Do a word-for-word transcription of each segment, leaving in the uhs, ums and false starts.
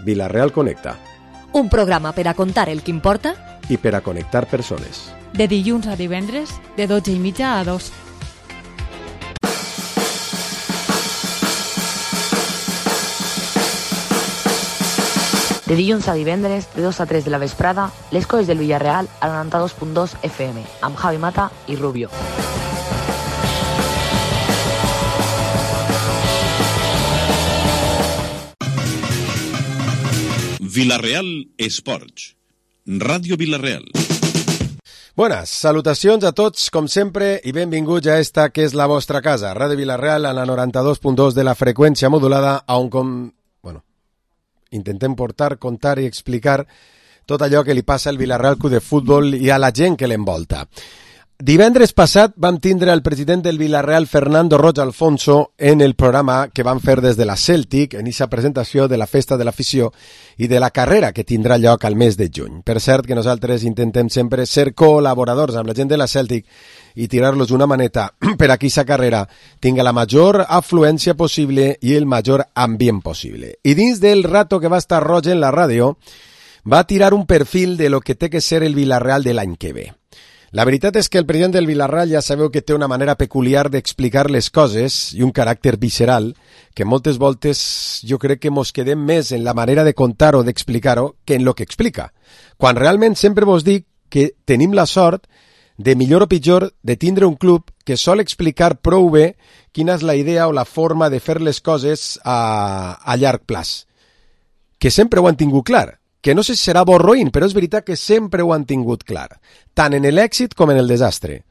Vila-real Connecta. Un programa per a contar el que importa i per a connectar persones. De dilluns a divendres, de dotze i mitja a dos. De dilluns a divendres, de dos a tres de la vesprada, les coses del Villarreal a noranta-dos punt dos F M, amb Javi Mata i Rubio. Vila-real Esports. Ràdio Vila-real. Buenas, salutacions a tots, com sempre, i benvinguts a esta que és la vostra casa, Ràdio Vila-real, a la noranta-dos punt dos de la freqüència modulada, on com... bueno, intentem portar, contar i explicar tot allò que li passa al Vila-real Club de Futbol i a la gent que l'envolta. Divendres passat vam tindre el president del Vila-real, Fernando Roig Alfonso, en el programa que van fer des de la Celtic, en aquesta presentació de la festa de l'afició i de la carrera que tindrà lloc al mes de juny. Per cert que nosaltres intentem sempre ser col·laboradors amb la gent de la Celtic i tirar-los una maneta per a que aquesta carrera tinga la major afluència possible i el major ambient possible. I dins del rato que va estar Roig en la ràdio, va tirar un perfil de lo que té que ser el Vila-real de l'any que ve. La veritat és que el president del Vila-real ja sabeu que té una manera peculiar d'explicar les coses i un caràcter visceral que moltes voltes jo crec que mos quedem més en la manera de contar o d'explicar-ho que en lo que explica. Quan realment sempre vos dic que tenim la sort de millor o pitjor de tindre un club que sol explicar prou bé quina és la idea o la forma de fer les coses a, a llarg plaç. Que sempre ho han tingut clar. Que no sé si serà bo o roïn, però és veritat que sempre ho han tingut clar, tant en l'èxit com en el desastre.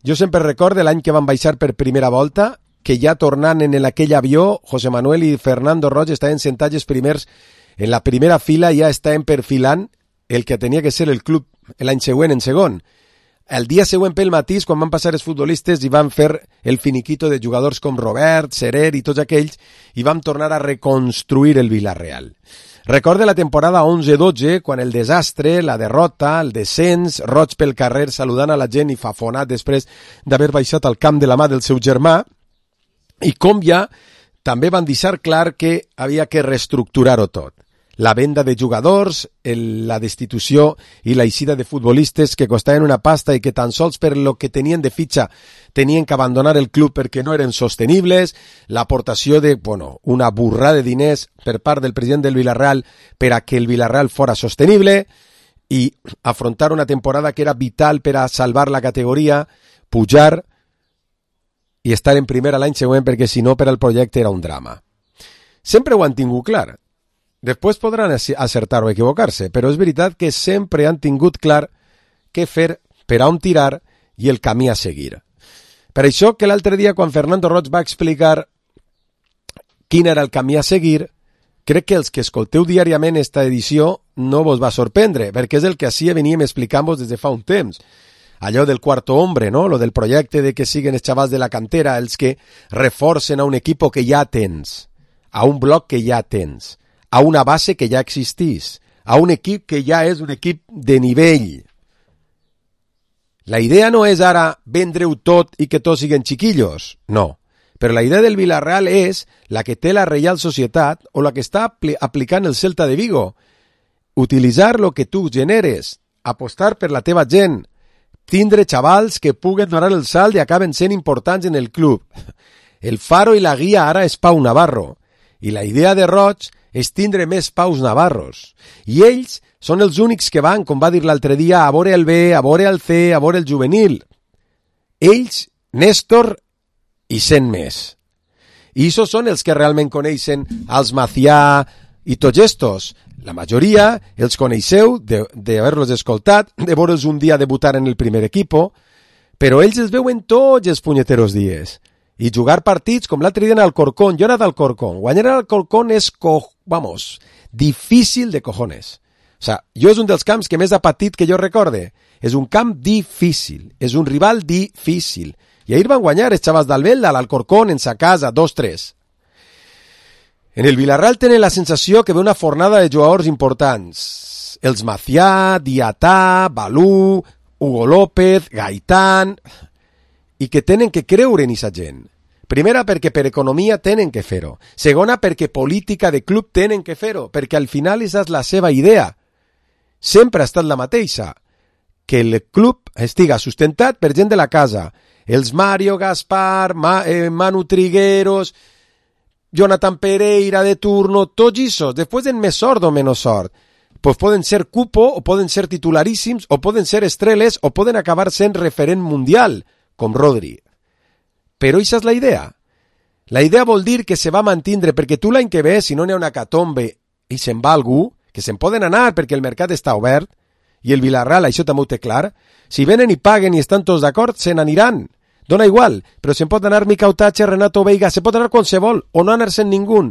Jo sempre recordo l'any que van baixar per primera volta, que ja tornant en aquell avió, José Manuel i Fernando Roig estaven sentats els primers en la primera fila, ja estaven perfilant el que tenia que ser el club l'any següent en segon. El dia següent pel matí, quan van passar els futbolistes i van fer el finiquito de jugadors com Robert, Serer i tots aquells, i vam tornar a reconstruir el Vila-real. Recorde la temporada onze dotze, quan el desastre, la derrota, el descens, Roig pel carrer saludant a la gent i fafonat després d'haver baixat al camp de la mà del seu germà, i com ja també van deixar clar que havia que reestructurar-ho tot. La venda de jugadors, el, la destitució i la eixida de futbolistes que costaven una pasta i que tan sols per lo que tenien de fitxa tenien que abandonar el club perquè no eren sostenibles, l'aportació de, bueno, una burrada de diners per part del president del Vila-real per a que el Vila-real fora sostenible i afrontar una temporada que era vital per a salvar la categoria, pujar i estar en primera l'any següent perquè si no per al projecte era un drama. Sempre ho han tingut clar. Després podran acertar o equivocar-se, però és veritat que sempre han tingut clar què fer, per a on tirar i el camí a seguir. Per això que l'altre dia, quan Fernando Roig va explicar quin era el camí a seguir, crec que els que escolteu diàriament esta edició no vos va sorprendre, perquè és el que així veníem explicant-vos des de fa un temps. Allò del quarto hombre, no? Lo del projecte de que siguen els xavals de la cantera, els que reforcen a un equip que ja tens, a un bloc que ja tens, a una base que ja existís, a un equip que ja és un equip de nivell. La idea no és ara vendre-ho tot i que tots siguin chiquillos, no. Però la idea del Vila-real és la que té la Reial Societat o la que està apl- aplicant el Celta de Vigo. Utilitzar lo que tu generes, apostar per la teva gent, tindre xavals que puguen donar el salt i acaben sent importants en el club. El faro i la guia ara és Pau Navarro. I la idea de Roig és tindre més Paus Navarros. I ells són els únics que van, com va dir l'altre dia, a veure el B, a veure el C, a veure el juvenil. Ells, Néstor i cent més. I això són els que realment coneixen els Macià i tots estos. La majoria els coneixeu d'haver-los escoltat, de veure'ls un dia debutar en el primer equipo, però ells els veuen tots els punyeteros dies. I jugar partits com l'altre dia en Alcorcón. Jo era d'Alcorcón. Guanyar a Alcorcón és, co... vamos, difícil de cojones. O sea, jo és un dels camps que més ha patit que jo recorde. És un camp difícil. És un rival difícil. I ahir van guanyar els xavals d'Albelda, a l'Alcorcón, en sa casa, dos tres. En el Vila-real tenen la sensació que ve una fornada de jugadors importants. Els Macià, Diatà, Balú, Hugo López, Gaitán... i que tenen que creure en aquesta gent. Primera, perquè per economia tenen que fer-ho. Segona, perquè política de club tenen que fer-ho, perquè al final és la seva idea. Sempre ha estat la mateixa, que el club estiga sustentat per gent de la casa. Els Mario Gaspar, Ma, eh, Manu Trigueros, Jonathan Pereira de turno, tots aquests, després en més sort o menys sort. Pues poden ser cupo, o poden ser titularíssims, o poden ser estreles, o poden acabar sent referent mundial, com Rodri. Però això és la idea. La idea vol dir que se va mantindre, perquè tu l'any que ve, si no n'hi ha una catombe i se'n va algú, que se'n poden anar perquè el mercat està obert, i el Villarreal això també ho té clar, si venen i paguen i estan tots d'acord, se n'aniran. Dona igual, però se'n pot anar Miquel Tatxe, Renato Veiga, se pot anar qualsevol, o no anar-se'n ningú.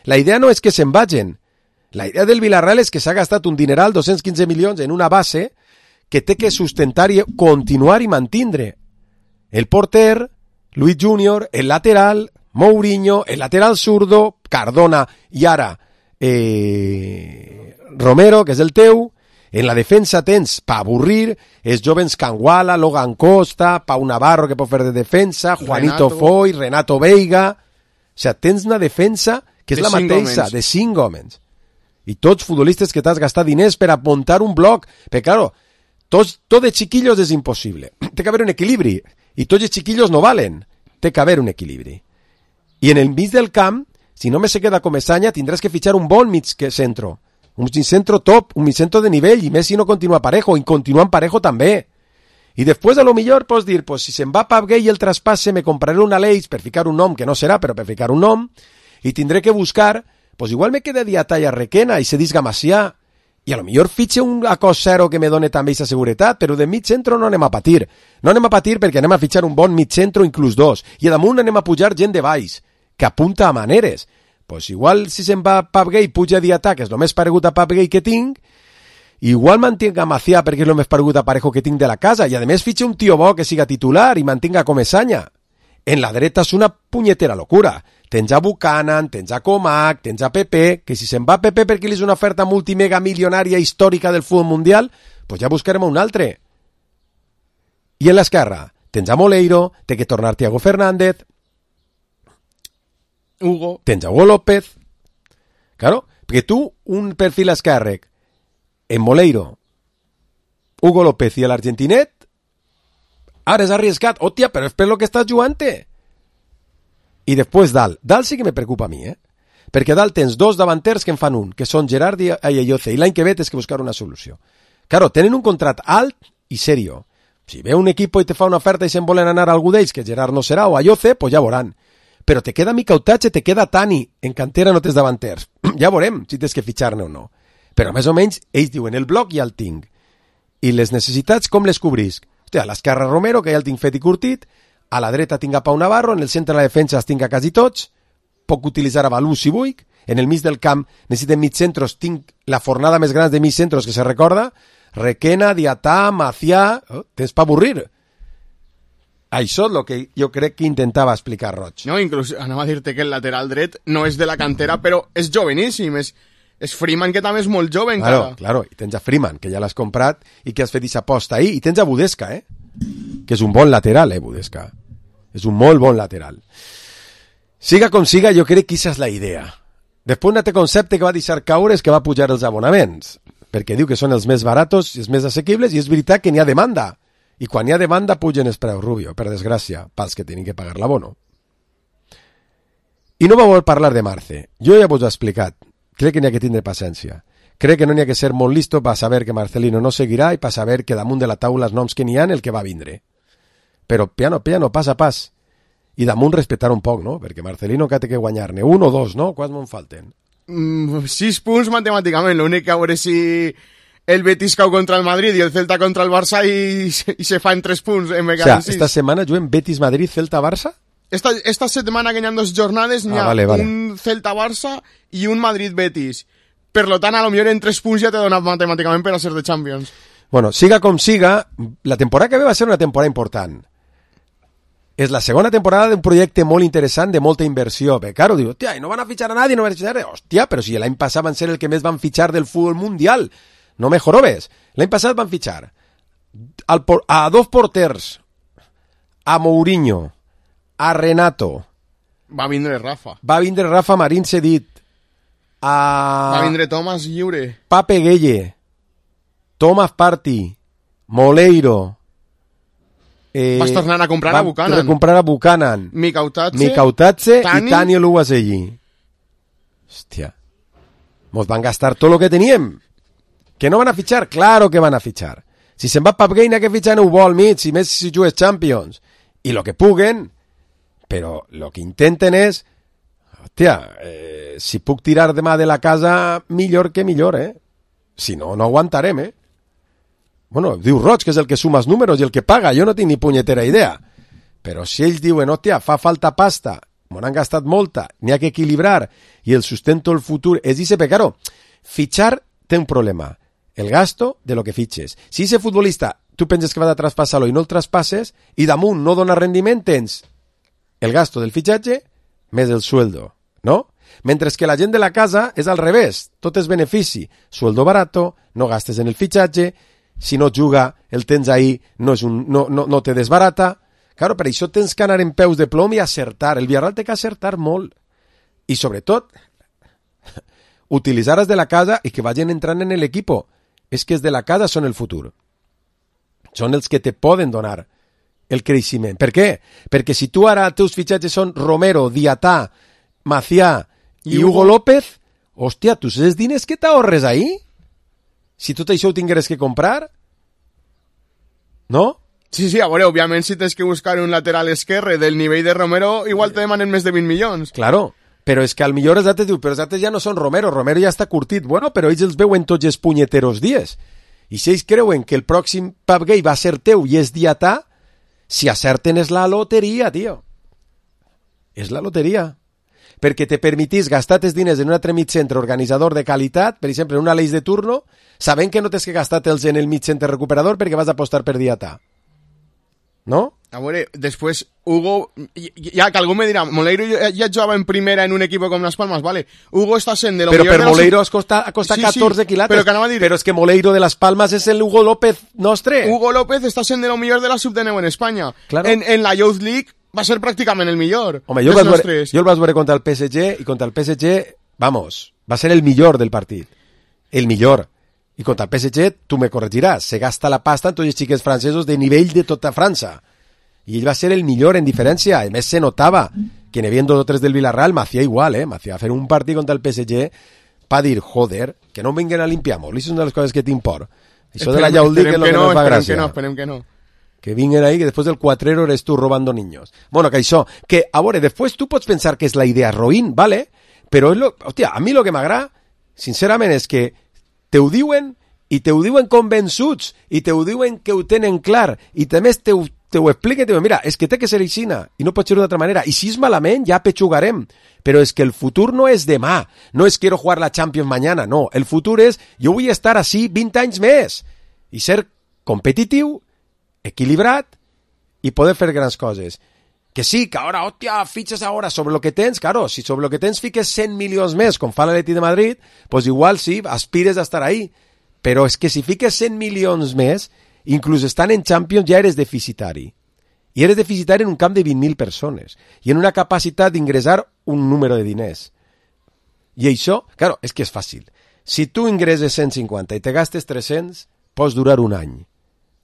La idea no és que se'n vagin. La idea del Villarreal és que s'ha gastat un dineral, dos-cents quinze milions, en una base que té que sustentar i continuar i mantindre. El porter, Luis Junior, el lateral, Mourinho, el lateral zurdo, Cardona i ara eh, Romero, que és el teu. En la defensa tens, pa avorrir, els jovens Canguala, Logan Costa, Pau Navarro, que pot fer de defensa, Juanito Renato. Foy, Renato Veiga. O sigui, tens una defensa que és de la mateixa, de cinc homes. I tots futbolistes que t'has gastat diners per apuntar un bloc. Perquè, claro, tots, tot de chiquillos és impossible. Té que haver un equilibri. I tots els chiquillos no valen. Té que haver un equilibri. I en el mig del camp, si no me se queda Comesaña, tindràs que fitxar un bon mig centro. Un mig centro top, un mig centro de nivell, i més si no continua Parejo, i continuant Parejo també. I després, a lo millor, pots dir, pues, si se'n va Pap Gay el traspasse, me compraré un Aleix per ficar un nom, que no serà, però per ficar un nom, i tindré que buscar, pues igual me queda Diatalla Requena i se disga Macià, i a lo millor fitxe un acosero que me done també aquesta seguretat, però de mig centro no anem a patir. No anem a patir perquè anem a fitxar un bon mig centro, inclús dos, i damunt anem a pujar gent de baix, que apunta a maneres. Pues igual si se'n va Pap Gay puja Diatà, que és el més paregut a Pap Gay que tinc, igual mantinc a Macià perquè és el més paregut a Parejo que tinc de la casa, i a més fitxe un tio bo que siga titular i mantinga Comesaña. En la dreta és una punyetera locura. Tens a Buchanan, tens a Comac, tens a Pepe, que si se'n va Pepe perquè li és una oferta multimega milionària històrica del futbol mundial, pues ja buscarem un altre. I en l'esquerra, tens a Moleiro, té que tornar Thiago Fernández, Hugo. Tens a Hugo López. Claro, perquè tu, un perfil esquerrec, en Moleiro, Hugo López i l'argentinet, ara és arriscat. Hòstia, però és per lo que estàs jugant-te. I després dalt. Dalt sí que me preocupa a mi, eh? Perquè dalt tens dos davanters que en fan un, que són Gerard i Ayoce, i l'any que ve tens que buscar una solució. Claro, tenen un contrat alt i serio. Si ve un equip i te fa una oferta i se'n volen anar a algú d'ells, que Gerard no serà, o Ayoce, pues ja veuran. Però te queda Miquel Tatxe, te queda Tani, en cantera no tens davanters. Ja veurem si tens que fitxar-ne o no. Però més o menys ells diuen el bloc ja el tinc. I les necessitats com les cobrisc? Hòstia, a l'esquerra Romero, que ja el tinc fet i curtit, a la dreta tinc a Pau Navarro, en el centre de la defensa els tinc a quasi tots, puc utilitzar a Balú si vull, en el mig del camp necessitem mig centros, tinc la fornada més gran de mig centros que se recorda, Requena, Diatà, Macià, oh, tens pa avorrir. Això és el que jo crec que intentava explicar Roig. No, inclús anava a dir-te que el lateral dret no és de la cantera, però és joveníssim, és, és Freeman, que també és molt jove encara. Claro, claro, i tens a Freeman, que ja l'has comprat i que has fet aquesta aposta ahí, i tens a Budesca, eh? Que és un bon lateral, eh, Budesca. És un molt bon lateral. Siga com siga, jo crec que aquesta és la idea. Després un altre concepte que va deixar caure és que va pujar els abonaments, perquè diu que són els més baratos i els més assequibles, i és veritat que n'hi ha demanda. I quan hi ha demanda pugen els preus, Rubio, per desgràcia, pels que tenen que pagar l'abono. I no va voler parlar de Marce. Jo ja vos ho he explicat. Crec que n'hi ha que tindre paciència. Crec que no n'hi ha que ser molt listo per saber que Marcelino no seguirà i per saber que damunt de la taula els noms que n'hi ha el que va vindre. Però piano, piano, pas a pas. I damunt respectar un poc, no? Perquè Marcelino que té que guanyar-ne un o dos, no? Quants me'n falten? Mm, sis punts matemàticament, l'únic que a veure si el Betis cau contra el Madrid i el Celta contra el Barça i, i se fa en tres punts. En o sea, esta setmana juguem Betis-Madrid, Celta-Barça? Esta, esta setmana que hi ha dos jornades n'hi ha ah, vale, vale. un Celta-Barça i un Madrid-Betis. Per lo tant, a lo millor en tres punts ja t'he donat matemàticament per a ser de Champions. Bueno, siga com siga, la temporada que ve va ser una temporada important. És la segona temporada d'un projecte molt interessant, de molta inversió. Perquè, claro, diu, hòstia, no van a fitxar a nadie, no van a fitxar a nadie. Hòstia, però si l'any passat van ser el que més van fitxar del futbol mundial. No me jorobes. L'any passat van fitxar al por- a dos porters, a Mourinho, a Renato, Va vindre Rafa. Va vindre Rafa Marín cedit. A... Va vindre Thomas lliure. Pape Gueye. Thomas Partey. Moleiro. Eh, Vas tornar a comprar a Buchanan. Va comprar a Buchanan. Mikautadze. Mikautadze i Tani Oluwaseyi. Hòstia. Mos van gastar tot lo que teníem. Que no van a fichar? Claro que van a fichar. Si se'n va Pape Gueye, n'ha que fitxar en un vol mig, si més si jugues Champions. I lo que puguen, però lo que intenten és, hòstia, eh, si puc tirar demà de la casa, millor que millor, eh? Si no, no aguantarem, eh? Bueno, diu Roig, que és el que suma els números i el que paga, jo no tinc ni punyetera idea. Però si ells diuen, hòstia, fa falta pasta, m'ho han gastat molta, n'hi ha que equilibrar, i el sustento el futur és dice, però claro, fitxar té un problema, el gasto de lo que fitxes. Si ese futbolista, tu penses que va de traspassar-lo i no el traspasses, i damunt no dona rendiment, tens el gasto del fitxatge més el sueldo, no? Mentre que la gent de la casa és al revés, tot és benefici, sueldo barato, no gastes en el fitxatge, si no juga, el tens ahí, no, és un, no, no, no te desbarata. Claro, per això tens que anar en peus de plom i acertar. El Villarreal té que acertar molt. I sobretot, utilitzar els de la casa i que vagin entrant en l'equip. És que els de la casa són el futur. Són els que te poden donar el creixement. Per què? Perquè si tu ara els teus fitxatges són Romero, Diatà, Macià i, I Hugo, Hugo López, hòstia, tu saps diners que t'ahorres ahí? Si tot això ho tingueres que comprar? No? Sí, sí, a veure, òbviament si tens que buscar un lateral esquerre del nivell de Romero, igual te demanen més de vint milions. Claro, però és que al millor els altres diu, però els altres ja no són Romero, Romero ja està curtit. Bueno, però ells els veuen tots els punyeteros dies. I si ells creuen que el pròxim Pape Gueye va ser teu i és Diatà, si acerten és la loteria, tio. És la loteria. Perquè te permetís gastar els diners en un altre mig centre organitzador de qualitat, per exemple, en una l'eix de turno, sabent que no tens que gastar-te'ls en el mig centre recuperador perquè vas a apostar per Diatà. ¿No? A veure, després Hugo, ja que algú me dirà, Moleiro ja, ja jugava en primera en un equip com Las Palmas, vale, Hugo està sent de lo però millor per de Moleiro la... costa, costa sí, catorze sí, quilates, però, que dir... però és que Moleiro de Las Palmas és el Hugo López nostre. Hugo López està sent de lo millor de la sub de nou en Espanya. Claro. En, en la Youth League va ser pràcticament el millor. Home, jo el, vas veure, jo el vas veure contra el P S G i contra el P S G, vamos, va ser el millor del partit. El millor. I contra el P S G, tu me corregiràs, se gasta la pasta en tots els xiquets francesos de nivell de tota França. I ell va ser el millor en diferència. A més, se notava que n'hi havia dos o tres del Villarreal, Macià igual, eh? Macià va fer un partit contra el P S G pa dir, joder, que no em vinguen a limpiar-mos. Això és una de les coses que tinc por. Això de la Yaulí, que és el que no ens fa gràcia. Que no, esperem que no. Que vinguen ahí, que després del cuatrero eres tu robando niños. Bueno, que això, que, a veure, després tu pots pensar que és la idea roïn, ¿vale? Però, és lo, hòstia, a mi lo que m'agrada, sincerament, és que te ho diuen, i te ho diuen convençuts, i te ho diuen que ho tenen clar, i també te ho te ho explica i te diu, mira, és que té que ser aixina i no pot ser d'una altra manera, i si és malament ja pechugarem, però és que el futur no és demà, no és quiero jugar la Champions mañana, no, el futur és jo vull estar així vint anys més i ser competitiu, equilibrat i poder fer grans coses. Que sí, que ara, hòstia, fitxes ara sobre lo que tens, claro, si sobre lo que tens fiques cent milions més, com fa l'Atleti de Madrid, pues igual sí, aspires a estar ahí, però és que si fiques cent milions més, inclús estant en Champions ja eres deficitari. I eres deficitari en un camp de vint mil persones i en una capacitat d'ingressar un número de diners. I això, claro, és que és fàcil. Si tu ingresses cent cinquanta i te gastes tres-cents, pots durar un any.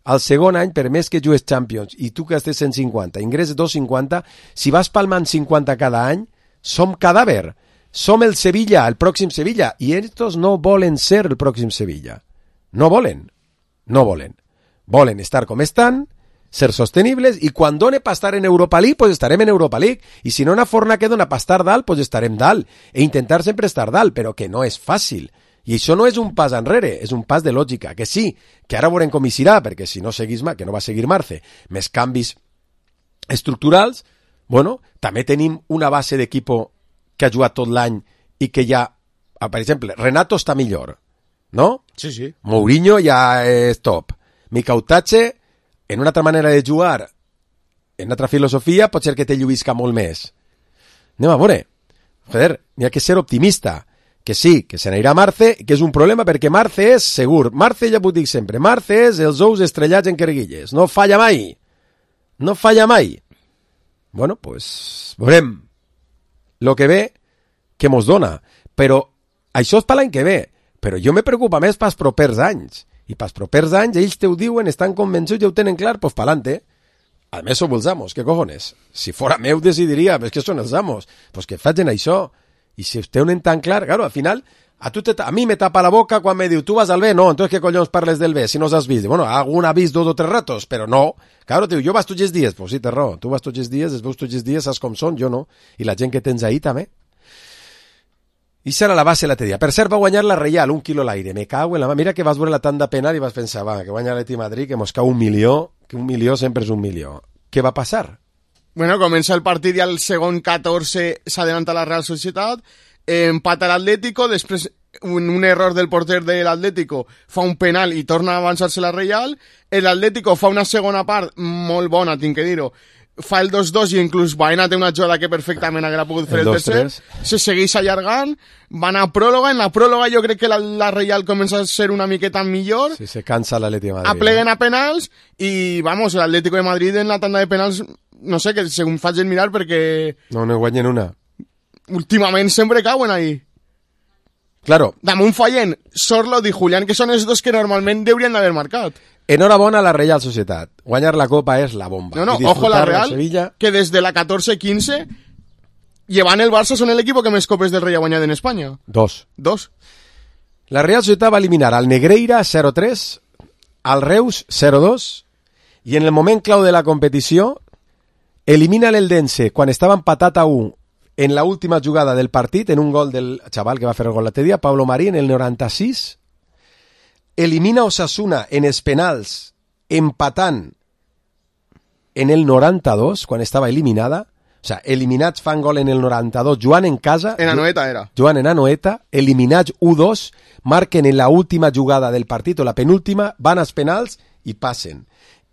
Al segon any, per més que jugues Champions i tu gastes cent cinquanta, ingresses dos cents cinquanta, si vas palmant cinquanta cada any, som cadàver. Som el Sevilla, el pròxim Sevilla, i estos no volen ser el pròxim Sevilla. No volen. No volen. Volen estar com estan, ser sostenibles, i quan done per estar en Europa League, pues estarem en Europa League, i si no una forna que dona per estar dalt, pues estarem dalt, e intentar sempre estar dalt, però que no és fàcil. I això no és un pas enrere, és un pas de lògica, que sí, que ara veurem com hi serà, perquè si no seguís, que no va seguir Marce, més canvis estructurals, bueno, també tenim una base d'equip que ha jugat tot l'any i que ja, per exemple, Renato està millor, no? Sí, sí. Mourinho ja és top. Mikautadze, en una altra manera de jugar, en una altra filosofia, pot ser que te lluïsca molt més. Anem a veure. Joder, n'hi ha que ser optimista. Que sí, que se n'anirà Marce, que és un problema perquè Marce és segur. Marce, ja ho dic sempre, Marce és els ous estrellats en querguilles. No falla mai. No falla mai. Bueno, pues, veurem. lo que ve que mos dona. Però això és per l'any que ve. Però jo me preocupa més pels propers anys. I pels propers anys ells te ho diuen, estan convençuts, ja ho tenen clar, pues pa'lante. A més som els amos, què cojones? Si fora meu decidiria, però és que són els amos. Pues que facin això. I si ho tenen tan clar, claro, al final, a, tu te, a mi me tapa la boca quan me diu, tu vas al B? No, entonces què collons parles del B si no has vist? Bueno, algun ha vist dos o tres ratos, però no. Claro, te diu, jo vas tots els dies. Pues sí, té raó, tu vas tots els dies, els veus tots els dies, saps com són, jo no. I la gent que tens ahí també. I serà la base l'altre dia. Per cert, va guanyar la Reial, un quilo a l'aire. Me cago en la mà. Mira que vas veure la tanda penal i vas pensar, va, que guanya l'Atleti Madrid, que mos cau un milió, que un milió sempre és un milió. Què va passar? Bueno, comença el partit i al segon catorze s'adelanta la Real Societat, empata l'Atlético, després un, un error del porter de l'Atlético fa un penal i torna a avançar-se la Reial, l'Atlético fa una segona part molt bona, tinc que dir-ho, fa el dos dos i inclús Baena té una jugada que perfectament haguera pogut fer el, el tercer, se segueix allargant, van a pròloga, en la pròloga jo crec que la, la Reial comença a ser una miqueta millor, sí, se cansa l'Atleti de Madrid, apleguen a penals i vamos, l'Atlético de Madrid en la tanda de penals no sé, que segons facin mirar perquè no, no guanyen una últimament sempre cauen ahí. Claro. Damunt fallen Sorlot i Julián, que són els dos que normalment deurien d'haver marcat. Enhorabona a la Real Societat. Guanyar la Copa és la bomba. No, no, ojo la Real, que des de la catorze quince llevant el Barça són l'equip que més copes del Rei ha guanyat en Espanya. Dos. Dos. La Real Societat va eliminar al Negreira zero tres, al Reus zero dos i en el moment clau de la competició elimina l'Eldense quan estava empatat a u en la última jugada del partit, en un gol del xaval que va fer el gol l'altre dia, Pablo Marí, en el noranta-sis, elimina Osasuna en els penals, empatant en el noranta-dos, quan estava eliminada, o sea, eliminats fan gol en el noranta-dos, Joan en casa... En Anoeta era. Joan en Anoeta, eliminats u dos, marquen en la última jugada del partit, o la penúltima, van als penals i passen.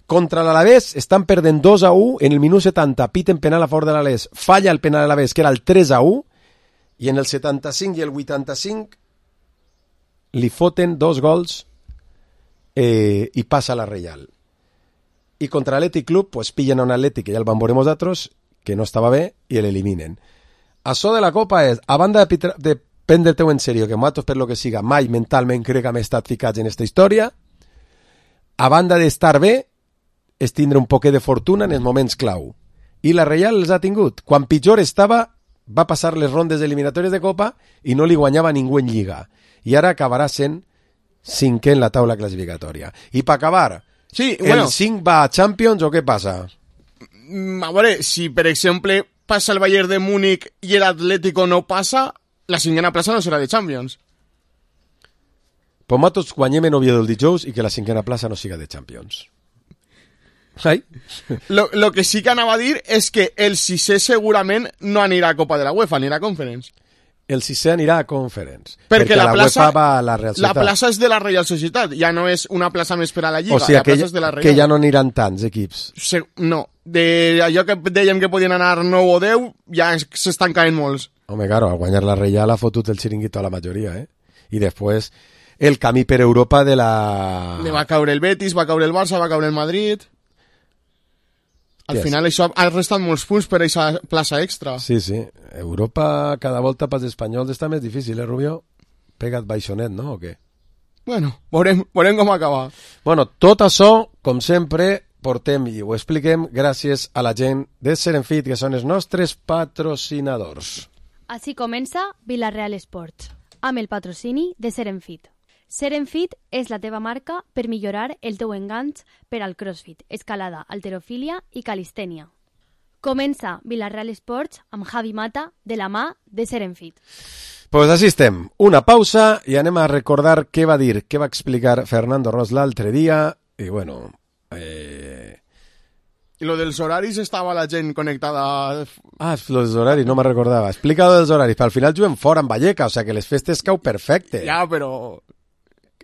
Contra l'Alavés estan perdent dos a u, en el minut setanta piten penal a favor de l'Alavés, falla el penal a l'Alavés, que era el tres a u, i en el setanta-cinc i el vuitanta-cinc li foten dos gols eh, i passa la Reial. I contra l'Atlètic Club, pues pillen a un Atlètic que ja el van veure nosaltres, que no estava bé, i l'eliminen. Això de la Copa és, a banda de, de prendre-te-ho en sèrio, que nosaltres per lo que siga mai mentalment crec que hem estat ficats en esta història, a banda d'estar bé, és tindre un poquet de fortuna en els moments clau. I la Reial els ha tingut. Quan pitjor estava, va passar les rondes eliminatòries de Copa i no li guanyava ningú en Lliga. I ara acabarà sent cinquè en la taula classificatòria. I per acabar, sí, el bueno, cinc va a Champions o què passa? A veure, si per exemple passa el Bayern de Múnich i l'Atlético no passa, la cinquena plaça no serà de Champions. Pues nosaltres guanyem en Oviedo el dijous i que la cinquena plaça no siga de Champions. Ai. Lo, lo que sí que anava a dir és que el sisè segurament no anirà a Copa de la UEFA, anirà a Conference. El sisè anirà a Conference. Perquè, perquè la, la plaça, UEFA va a la Real Societat. La plaça és de la Real Societat, ja no és una plaça més per a la Lliga. O sigui, la que, plaça és de la Real. que ja no aniran tants equips. Se, no, de allò que dèiem que podien anar nou o deu, ja s'estan caent molts. Home, claro, al guanyar la Real ha fotut el xiringuito a la majoria, eh? I després el camí per Europa de la... Le va caure el Betis, va caure el Barça, va caure el Madrid... Al yes. final això ha restat molts punts per aquesta plaça extra. Sí, sí. Europa cada volta pels espanyols està més difícil, eh, Rubio? Pega't baixonet, no? O què? Bueno, veurem, veurem com acaba. Bueno, tot això, com sempre, portem i ho expliquem gràcies a la gent de Serenfit, que són els nostres patrocinadors. Així comença Vilareal Esports, amb el patrocini de Serenfit. Serenfit és la teva marca per millorar el teu enganx per al crossfit, escalada, halterofília i calistènia. Comença Vilareal Esports amb Javi Mata de la mà de Serenfit. Pues així estem. Una pausa i anem a recordar què va dir, què va explicar Fernando Ros l'altre dia. I bueno... Eh... I lo dels horaris estava la gent connectada... Ah, lo dels horaris, no me'n recordava. Explica lo dels horaris, però al final juguem fora en Valleca, o sea que les festes cau perfecte. Ja, però...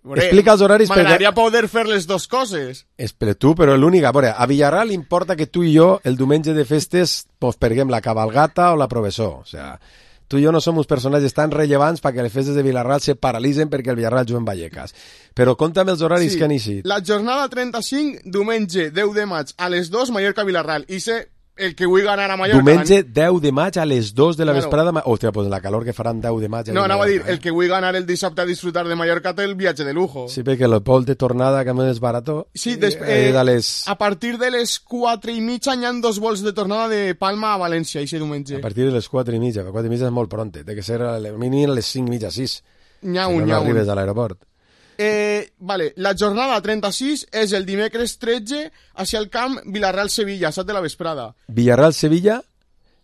Veure, explica els horaris... M'agradaria perquè... poder fer les dues coses. Espera, tu, però l'única... A veure, a Villarreal importa que tu i jo el diumenge de festes pues, perguem la cabalgata o la professor. O sea, tu i jo no som uns personatges tan rellevants perquè les festes de Villarreal se paralitzen perquè el Villarreal juga en Vallecas. Però compta'm els horaris sí, que han eixit. La jornada trenta-cinc, diumenge deu de maig, a les dues, Mallorca-Villarreal. I sé el que vull ganar a Mallorca... Diumenge deu de maig a les dos de la Claro. vesprada... Hòstia, pues la calor que faran deu de maig... No, anava a dir, eh? el que vull ganar el dissabte a disfrutar de Mallorca té el viatge de lujo. Sí, perquè el vol de tornada, que a més és barató... Sí, des, eh, eh, de les... a partir de les quatre i mitja hi ha dos vols de tornada de Palma a València, i diumenge. A partir de les quatre i mitja, però quatre i mitja és molt pronte, té que ser a les mínim a les cinc i mitja, sis. N'hi ha Si un, no, n'hi no ha un. arribes a l'aeroport. Eh, vale, la jornada trenta-sis és el dimecres tretze hacia el camp Villarreal-Sevilla, a set de la vesprada. Villarreal-Sevilla,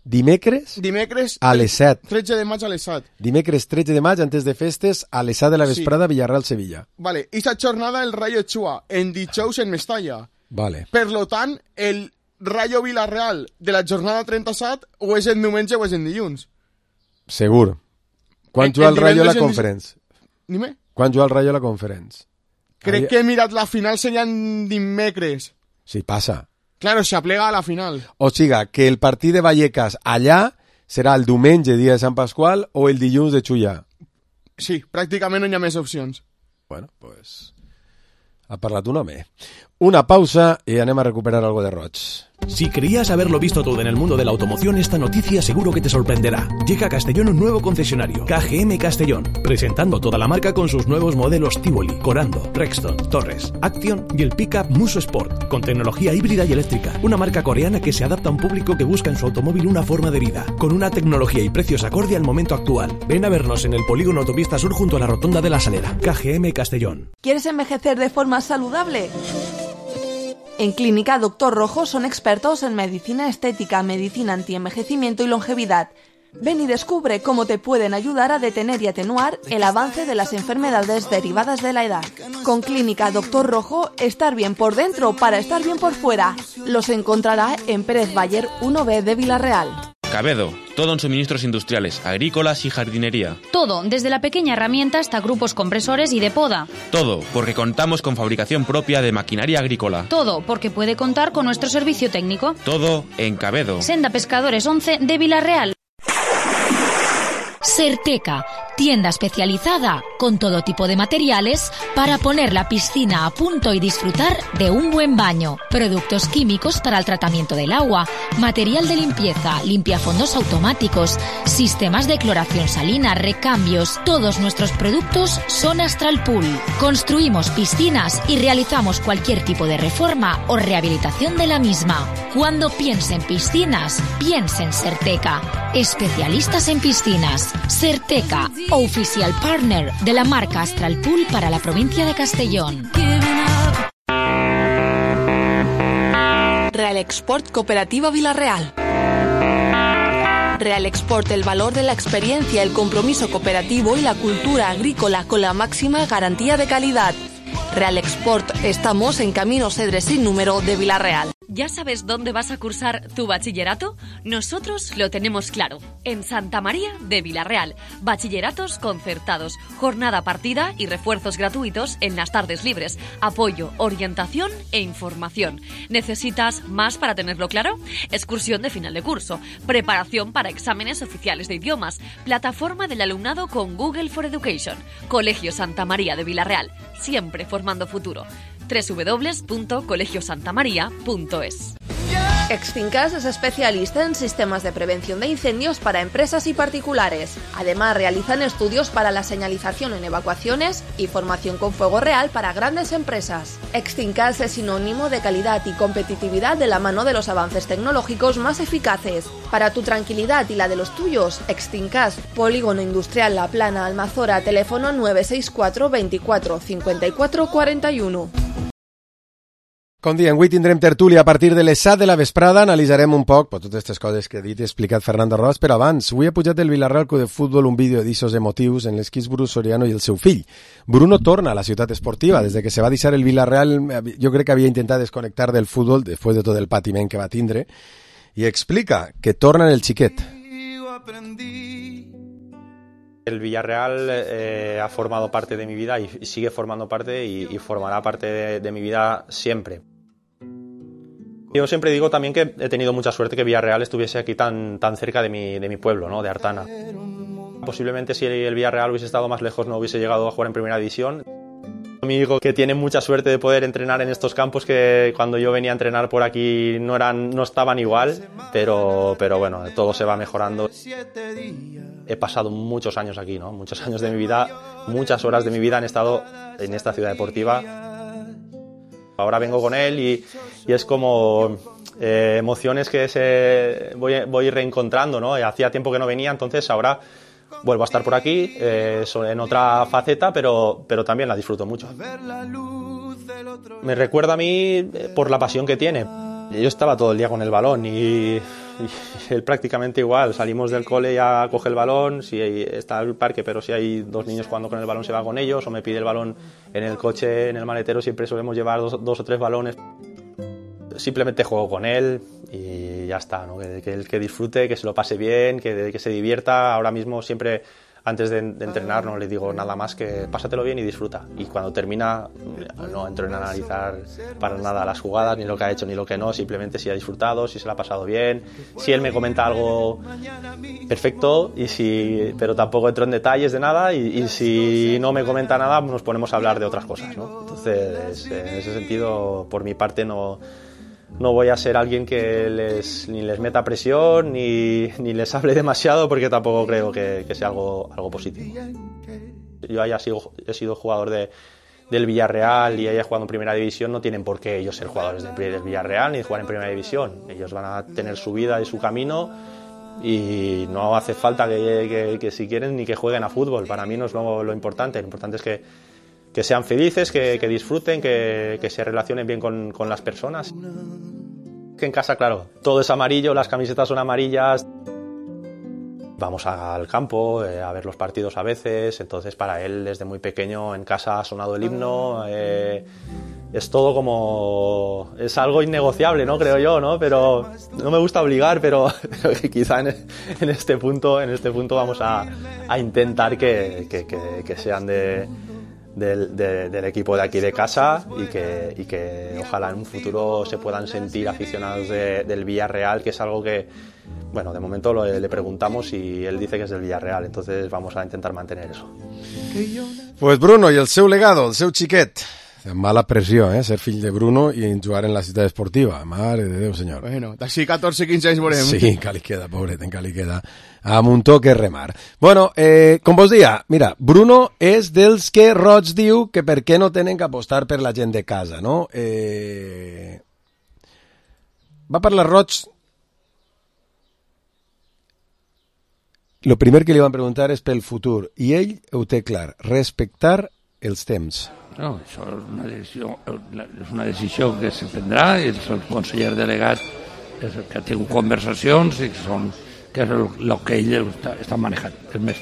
dimecres Dimecres a les set. tretze de maig a les set. Dimecres tretze de maig, antes de festes, a les set de la vesprada, sí. Villarreal-Sevilla. Vale, esta jornada el Rayo Chua, en dijous en Mestalla. Vale. Per lo tant, el Rayo Villarreal de la jornada trenta-set o és en diumenge o és en dilluns. Segur. Quan El- juga el el Rayo a la divendres en- Conference? Dime? Quan juga el Rayo a la Conference? Crec Ahí- que he mirat la final serien dimecres. Sí, passa. Claro, se aplega a la final. O siga, que el partit de Vallecas allà serà el diumenge, dia de Sant Pasqual, o el dilluns de Xullà. Sí, pràcticament no hi ha més opcions. Bueno, pues... Ha parlat un home. Una pausa y anem a recuperar algo de roig. Si creías haberlo visto todo en el mundo de la automoción, esta noticia seguro que te sorprenderá. Llega a Castellón un nuevo concesionario, K G M Castellón, presentando toda la marca con sus nuevos modelos Tivoli, Corando, Rexton, Torres, Action y el pickup Muso Sport, con tecnología híbrida y eléctrica. Una marca coreana que se adapta a un público que busca en su automóvil una forma de vida, con una tecnología y precios acorde al momento actual. Ven a vernos en el polígono Autopista Sur junto a la Rotonda de la Salera. K G M Castellón. ¿Quieres envejecer de forma saludable? En Clínica Doctor Rojo son expertos en medicina estética, medicina antienvejecimiento y longevidad. Ven y descubre cómo te pueden ayudar a detener y atenuar el avance de las enfermedades derivadas de la edad. Con Clínica Doctor Rojo, estar bien por dentro para estar bien por fuera. Los encontrará en Pérez Bayer uno B de Villarreal. Cabedo, todo en suministros industriales, agrícolas y jardinería. Todo, desde la pequeña herramienta hasta grupos compresores y de poda. Todo, porque contamos con fabricación propia de maquinaria agrícola. Todo, porque puede contar con nuestro servicio técnico. Todo en Cabedo. Senda Pescadores once de Villarreal. Certeca, tienda especializada con todo tipo de materiales para poner la piscina a punto y disfrutar de un buen baño. Productos químicos para el tratamiento del agua, material de limpieza, limpiafondos automáticos, sistemas de cloración salina, recambios. Todos nuestros productos son Astral Pool. Construimos piscinas y realizamos cualquier tipo de reforma o rehabilitación de la misma. Cuando piense en piscinas, piense en Certeca. Especialistas en piscinas. Certeca, oficial partner de la marca Astral Pool para la provincia de Castellón. Real Export Cooperativa Villarreal. Real Export, el valor de la experiencia, el compromiso cooperativo y la cultura agrícola con la máxima garantía de calidad. Real Export, estamos en Camino Cedres sin número de Villarreal. ¿Ya sabes dónde vas a cursar tu bachillerato? Nosotros lo tenemos claro. En Santa María de Villarreal. Bachilleratos concertados, jornada partida y refuerzos gratuitos en las tardes libres. Apoyo, orientación e información. ¿Necesitas más para tenerlo claro? Excursión de final de curso. Preparación para exámenes oficiales de idiomas. Plataforma del alumnado con Google for Education. Colegio Santa María de Villarreal. Siempre formando futuro. doble u doble u doble u punto colegio santa maría punto es. Extincas es especialista en sistemas de prevención de incendios para empresas y particulares. Además, realizan estudios para la señalización en evacuaciones y formación con fuego real para grandes empresas. Extincas es sinónimo de calidad y competitividad de la mano de los avances tecnológicos más eficaces. Para tu tranquilidad y la de los tuyos, Extincas, Polígono Industrial La Plana, Almazora, teléfono nueve seis cuatro veinticuatro cincuenta y cuatro cuarenta y uno. Com diem, avui tindrem tertúlia a partir de les set de la vesprada, analitzarem un poc pues, totes aquestes coses que ha dit i explicat Fernando Ross, però abans, avui ha pujat el Villarreal Club de Futbol un vídeo d'issos emotius en l'esquís Bruno Soriano i el seu fill. Bruno torna a la ciutat esportiva, des de que se va deixar el Villarreal, jo crec que havia intentat desconnectar del futbol, després de tot el patiment que va tindre, i explica que torna en el xiquet. El Villarreal eh, ha formado parte de mi vida y sigue formando parte y, y formará parte de, de mi vida siempre. Yo siempre digo también que he tenido mucha suerte que Villarreal estuviese aquí tan, tan cerca de mi, de mi pueblo, ¿no? De Artana. Posiblemente si el Villarreal hubiese estado más lejos no hubiese llegado a jugar en primera división. Mi hijo, que tiene mucha suerte de poder entrenar en estos campos, que cuando yo venía a entrenar por aquí no eran, no estaban igual, pero, pero bueno, todo se va mejorando. He pasado muchos años aquí, ¿no? Muchos años de mi vida, muchas horas de mi vida han estado en esta ciudad deportiva. Ahora vengo con él y, y es como eh, emociones que se voy, voy reencontrando, ¿no? Hacía tiempo que no venía, entonces ahora vuelvo a estar por aquí, eh, en otra faceta, pero, pero también la disfruto mucho. Me recuerda a mí por la pasión que tiene. Yo estaba todo el día con el balón y, y él prácticamente igual. Salimos del cole, ya coge el balón, si hay, está el parque, pero si hay dos niños jugando con el balón se va con ellos, o me pide el balón en el coche, en el maletero, siempre solemos llevar dos, dos o tres balones. Simplemente juego con él y ya está, ¿no? Que, que él que disfrute, que se lo pase bien, que, que se divierta. Ahora mismo siempre, antes de, de entrenar, no le digo nada más que pásatelo bien y disfruta. Y cuando termina, no entro en analizar para nada las jugadas, ni lo que ha hecho, ni lo que no, simplemente si ha disfrutado, si se lo ha pasado bien. Si él me comenta algo, perfecto, y si, pero tampoco entro en detalles de nada, y, y si no me comenta nada, nos ponemos a hablar de otras cosas, ¿no? Entonces, en ese sentido, por mi parte, no... No voy a ser alguien que les, ni les meta presión ni, ni les hable demasiado, porque tampoco creo que, que sea algo, algo positivo. Yo haya sido, he sido jugador de, del Villarreal y haya jugado en Primera División, no tienen por qué ellos ser jugadores del, del Villarreal ni jugar en Primera División. Ellos van a tener su vida y su camino y no hace falta que, que, que si quieren ni que jueguen a fútbol. Para mí no es lo, lo importante. Lo importante es que que sean felices, que, que disfruten, que, que se relacionen bien con, con las personas. Que en casa, claro, todo es amarillo, las camisetas son amarillas. Vamos al campo eh, a ver los partidos a veces, entonces para él desde muy pequeño en casa ha sonado el himno. Eh, es todo como... es algo innegociable, ¿no? Creo yo, ¿no? Pero no me gusta obligar, pero, pero quizá en, en este punto en este punto vamos a, a intentar que, que, que, que sean de... Del, de, del equipo de aquí de casa y que, y que ojalá en un futuro se puedan sentir aficionados de, del Villarreal, que es algo que, bueno, de momento lo, le preguntamos y él dice que es del Villarreal, entonces vamos a intentar mantener eso. Pues Bruno, i el seu legado, el seu xiquet. Mala pressió, eh? Ser fill de Bruno i jugar en la ciutat esportiva. Mare de Déu, senyor. Bueno, d'ací catorze quinze anys veurem. Sí, encara li queda, pobret, encara li queda. Amb un toque remar. Bueno, eh, com vos dia, mira, Bruno és dels que Roig diu que per què no tenen que apostar per la gent de casa, no? Eh... Va parlar Roig... Lo primer que li van preguntar és pel futur, i ell ho té clar, respectar els temps. No, això és una decisió, és una decisió que se prendrà, i el conseller delegat és el que té conversacions i que, són, que és el, el que ell està, està manejant. És més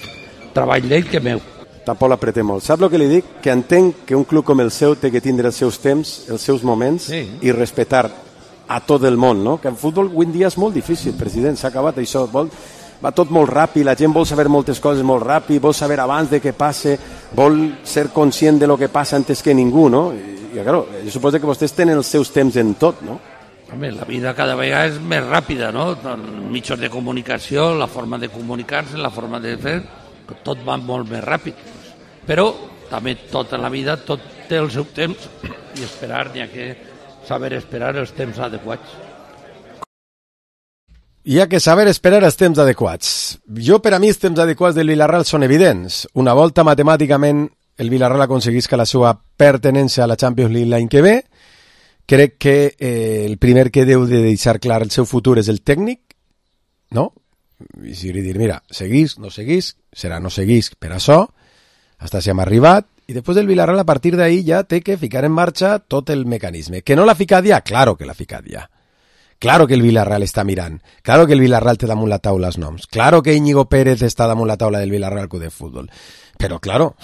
treball d'ell que meu. Tampoc l'apreté molt. Sap el que li dic? Que entenc que un club com el seu té que tindre els seus temps, els seus moments, sí, i respectar a tot el món, no? Que el futbol avui en dia és molt difícil, president, s'ha acabat això. Vol... Va tot molt ràpid, la gent vol saber moltes coses molt ràpid, vol saber abans de què passe, vol ser conscient de lo que passa antes que ningú, no? I, i claro, jo suposo que vostès tenen els seus temps en tot, no? Home, la vida cada vegada és més ràpida, no? Mitjans de comunicació, la forma de comunicar-se, la forma de fer, tot va molt més ràpid. Però també tota la vida, tot té el seu temps i esperar, n'hi ha que saber esperar els temps adequats. Hi ha que saber esperar els temps adequats. Jo, per a mi, els temps adequats del Villarreal són evidents. Una volta matemàticament el Villarreal aconseguisca la seva pertinença a la Champions League l'any que ve, crec que eh, el primer que deu de deixar clar el seu futur és el tècnic, no? I si li dir, mira, seguís, no seguís, serà no seguís per això, hasta si hem arribat, i després el Villarreal a partir d'ahí ja té que ficar en marxa tot el mecanisme. Que no l'ha ficat ja? Claro que l'ha ficat ja. Claro que el Villarreal està mirant. Claro que el Villarreal té damunt la taula els noms. Claro que Íñigo Pérez està damunt la taula del Villarreal Club de Futbol. Però, claro,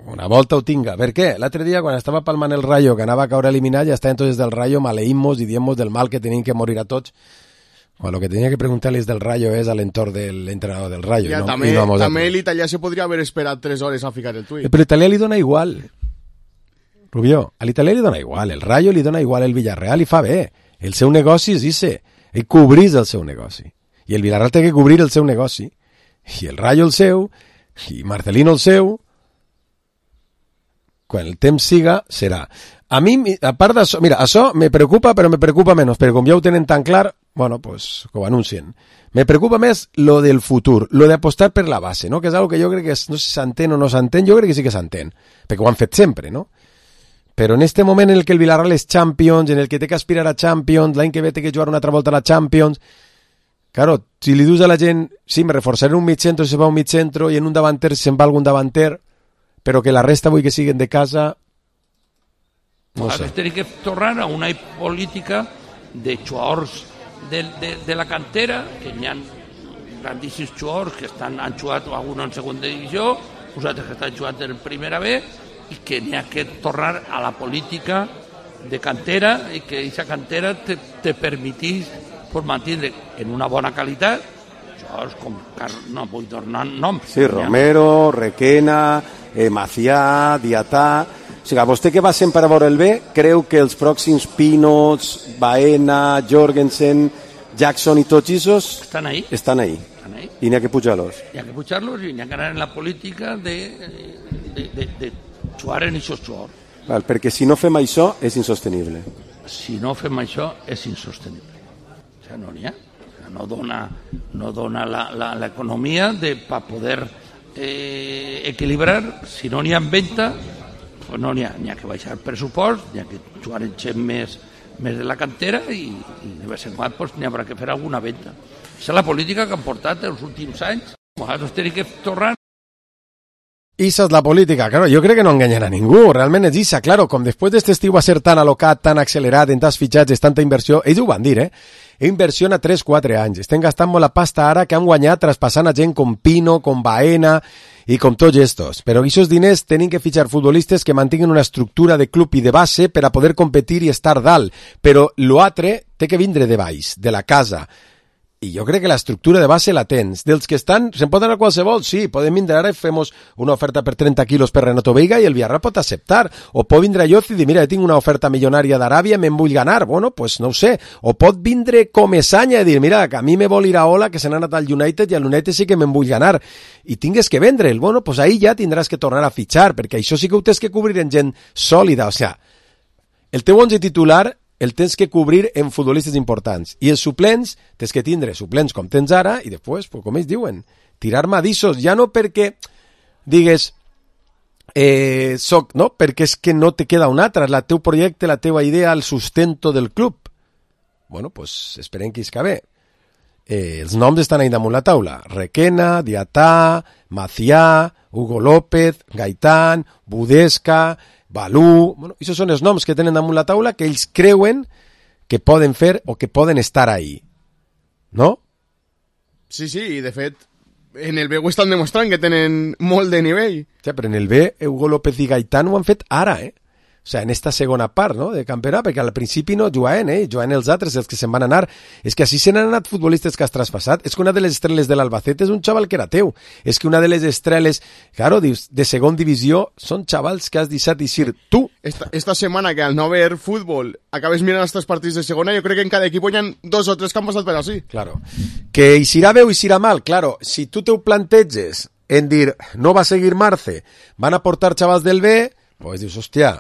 una volta ho tinga. Per què? L'altre dia, quan estava palmant el Rayo, que anava a caure eliminat, ja està entonces del Rayo, maleïmos i diemos del mal que tenim que morir a tots. Bueno, lo que tenia que preguntar-les del Rayo és a l'entorn de l'entrenador del Rayo. Ja, no? també, no també l'italià se podria haver esperat tres hores a ficar el tuit. Però l'italià li dona igual. Rubió, a l'italià li dona igual. El Rayo li dona igual el Villarreal i fa bé. El seu negoci és ese, ell cobrís el seu negoci. I el Villarreal té que cobrir el seu negoci. I el Rayo el seu, i Marcelino el seu. quan el temps siga, serà. A mi, a part d'això, mira, això me preocupa, però me preocupa menys, perquè com ja ho tenen tan clar, bueno, pues, que ho anuncien. Me preocupa més lo del futur, lo de apostar per la base, no? Que és algo que jo crec que és, no sé si s'entén o no s'entén, jo crec que sí que s'entén, perquè ho han fet sempre, no? Però en este moment en el que el Villarreal és Champions, en el que té que aspirar a Champions, l'any que ve té que jugar una altra volta a la Champions, claro, si li dius a la gent, sí, me reforçaré en un mig centro si se va a un mig centro i en un davanter si se'n va algun davanter, però que la resta vull que siguen de casa, no sé. Tenim que tornar a una política de jugadors de, de, de la cantera, que hi ha grandíssims jugadors que estan, han jugat alguns en segona divisió, uns altres que estan jugant en primera B, i que n'hi ha que tornar a la política de cantera i que aquesta cantera te, te permetís pues, mantenir en una bona qualitat jugadors com, no vull tornar noms. Sí, Romero, Requena, eh, Macià, Diatà... O sigui, vostè que va sempre a veure el B, creu que els pròxims Pinos, Baena, Jorgensen, Jackson i tots aquests estan ahí. Estan ahí. Estan ahí. I n'hi ha que pujar-los. N'hi ha que pujar-los i n'hi ha que anar en la política de, de, de, de jugar en aquests jugadors. Val, perquè si no fem això és insostenible. Si no fem això és insostenible. O sigui, no n'hi ha. O sigui, no dona, no dona l'economia per poder eh, equilibrar. Si no n'hi ha en venda, pues no n'hi ha, n'hi ha que baixar el pressupost, n'hi ha que jugar en gent més, més de la cantera i, i de vez en quan pues, n'hi haurà que fer alguna venda. Aquesta és la política que han portat els últims anys. Nosaltres tenim que tornar. Esa es la política, claro, yo creo que no engañan a ningú, realment és esa, claro, com després d'este estiu va ser tan alocat, tan accelerat, en tants fitxatges, tanta inversió, ells ho van dir, eh? Inversió a tres quatre anys, estem gastant molt la pasta ara que han guanyat traspassant a gent com Pino, com Baena i com tots estos, però aquests diners tenen que fitxar futbolistes que mantinguin una estructura de club i de base per a poder competir i estar dalt, però l'altre té que vindre de baix, de la casa. I jo crec que l'estructura de base la tens. Dels que estan, se'n pot anar qualsevol? Sí, podem vindre ara i fem una oferta per trenta quilos per Renato Veiga i el Villarreal pot acceptar. O pot vindre Yoz i dir, mira, tinc una oferta milionària d'Aràbia, me'n vull ganar. Bueno, pues no ho sé. O pot vindre Comesaña i dir, mira, que a mi me vol ir a Ola, que se n'ha anat al United i al United sí que me'n vull ganar. I tingues que vendre'l. Bueno, pues ahí ja tindràs que tornar a fitxar, perquè això sí que ho tens que cobrir en gent sòlida. O sea, el teu onze titular el tens que cobrir en futbolistes importants. I els suplents, tens que tindre suplents com tens ara, i després, pues, com ells diuen, tirar madissos, ja no perquè digues, eh, soc, no? Perquè és que no te queda un altre, és el teu projecte, la teua idea, el sustento del club. Bueno, pues esperem que isca bé. Eh, els noms estan ahí damunt la taula. Requena, Diatà, Macià, Hugo López, Gaitán, Budesca, Balú, bueno, aquests són els noms que tenen damunt la taula que ells creuen que poden fer o que poden estar ahí. No? Sí, sí, i de fet, en el B ho estan demostrant que tenen molt de nivell. Sí, però en el B, Hugo López i Gaitán ho han fet ara, eh? O sea, en esta segona part, no?, de campionat, perquè al principi no juguen, eh? Juguen els altres, els que se'n van anar. És que així se n'han anat futbolistes que has traspassat. És que una de les estrelles de l'Albacete és un xaval que era teu. És que una de les estrelles, claro, de segon divisió, són xavals que has deixat eixir tu. Esta, esta setmana que al no haver futbol acabes mirant els tres partits de segona, jo crec que en cada equip hi ha dos o tres que han passat per així. Claro. Que eixirà bé o eixirà mal, claro. Si tu te ho planteges en dir, no va seguir Marce, van a portar xavals del B, pues dius, hòstia,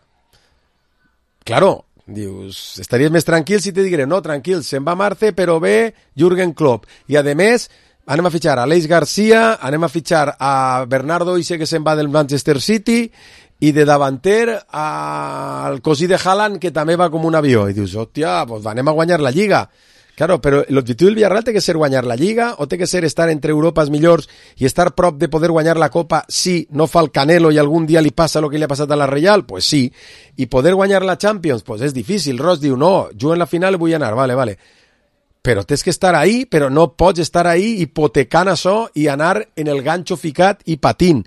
claro, dius, estaries més tranquil si te digué, no, tranquil, se'n va Marce, però ve Jürgen Klopp. I, a més, anem a fitxar a Aleix Garcia, anem a fitxar a Bernardo Ise, que se'n va del Manchester City, i de davanter al cosí de Haaland, que també va com un avió. I dius, hòstia, pues anem a guanyar la Lliga. Claro, però l'objectiu del Villarreal té que ser guanyar la Lliga o té que ser estar entre Europes millors i estar prop de poder guanyar la Copa si no fa el Canelo i algun dia li passa el que li ha passat a la Reial? Pues sí. I poder guanyar la Champions? Pues és difícil. Ross diu, no, jo en la final vull anar, vale, vale. Però tens que estar ahí, però no pots estar ahí hipotecant això i anar en el ganxo ficat i patint.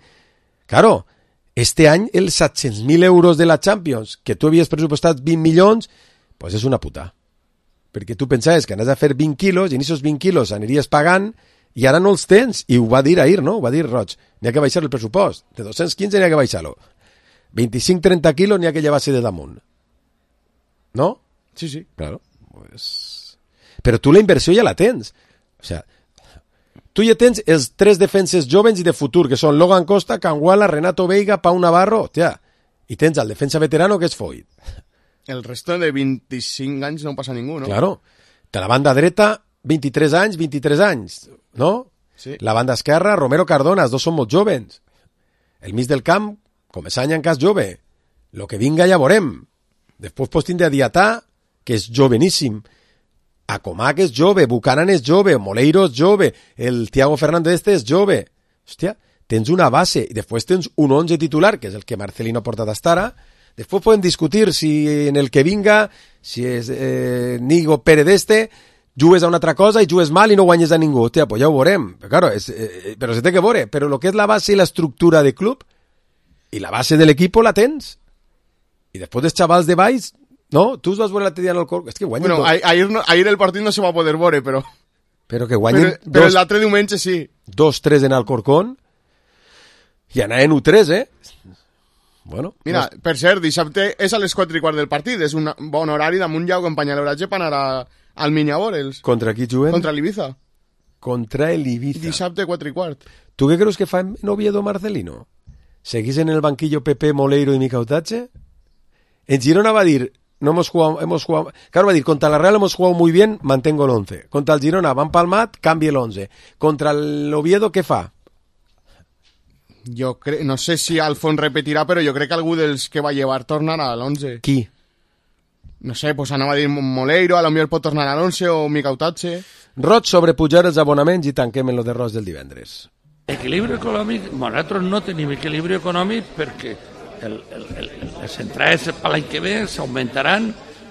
Claro, este any els set-cents mil euros de la Champions, que tu havies pressupostat vint milions, pues és una puta. Perquè tu pensaves que anaves a fer vint quilos i en aquests vint quilos aniries pagant i ara no els tens. I ho va dir ahir, no? Ho va dir Roig. N'hi ha que baixar el pressupost. De dos-cents quinze n'hi ha que baixar-lo. vint-i-cinc trenta quilos n'hi ha que llevar-se de damunt. No? Sí, sí. Claro. Pues... Però tu la inversió ja la tens. O sea, tu ja tens els tres defenses jovens i de futur, que són Logan Costa, Canguala, Renato Veiga, Pau Navarro. Hòstia, I tens el defensa veterano que és Foyt. El resto de vint-i-cinc anys no passa ningú, no? Claro. De la banda dreta, vint-i-tres anys, vint-i-tres anys, no? Sí. La banda esquerra, Romero Cardona, els dos són molt jovens. El mig del camp, Comesaña en cas jove. Lo que vinga ja veurem. Després pots tindre a Diatà, que és joveníssim. Acomà, que és jove. Buchanan és jove. Moleiro és jove. El Thiago Fernández este és jove. Hòstia, tens una base. I després tens un onze titular, que és el que Marcelino ha portat hasta ara. Després podem discutir si en el que vinga, si és eh, Nigo Pérez este, jugues a una altra cosa i jugues mal i no guanyes a ningú. Hòstia, pues ja ho veurem. Però, claro, és, eh, però se té que veure. Però el que és la base i l'estructura de club i la base de l'equip la tens. I després dels xavals de baix, no? Tu us vas veure l'altre dia en el Corcón. És que guanyen... Bueno, dos... ahir, no, ahir el partit no se va poder veure, però... Però que guanyen... Però, però dos... l'altre diumenge sí. dos tres en el Corcón i anaven u tres, eh? Bueno... Mira, no... per cert, dissabte és a les quatre i quart del partit. És un bon horari damunt ja que empanya l'oratge per anar a, al Minya a veure'ls. Contra qui juguen? Contra l'Ibiza. Contra l'Ibiza. Dissabte quatre i quart. Tu què creus que fa en Oviedo Marcelino? ¿Seguís en el banquillo Pepe, Moleiro y Micautache? En Girona va a decir, no hemos jugado, hemos jugado, claro, va a decir, contra la Real hemos jugado muy bien, mantengo el once. Contra el Girona van palmat, cambie el once. Contra el Oviedo, ¿qué fa? Jo crec, no sé si Alfons repetirà, però jo crec que algú dels que va llevar tornarà a l'onze. Qui? No sé, pues anava a dir Moleiro, a lo millor pot tornar a l'onze o Micautache. Roig sobre pujar els abonaments i tanquem en lo de Roig del divendres. Equilibri econòmic, nosaltres no tenim equilibri econòmic perquè el, el, el, les entrades per l'any que ve s'augmentaran,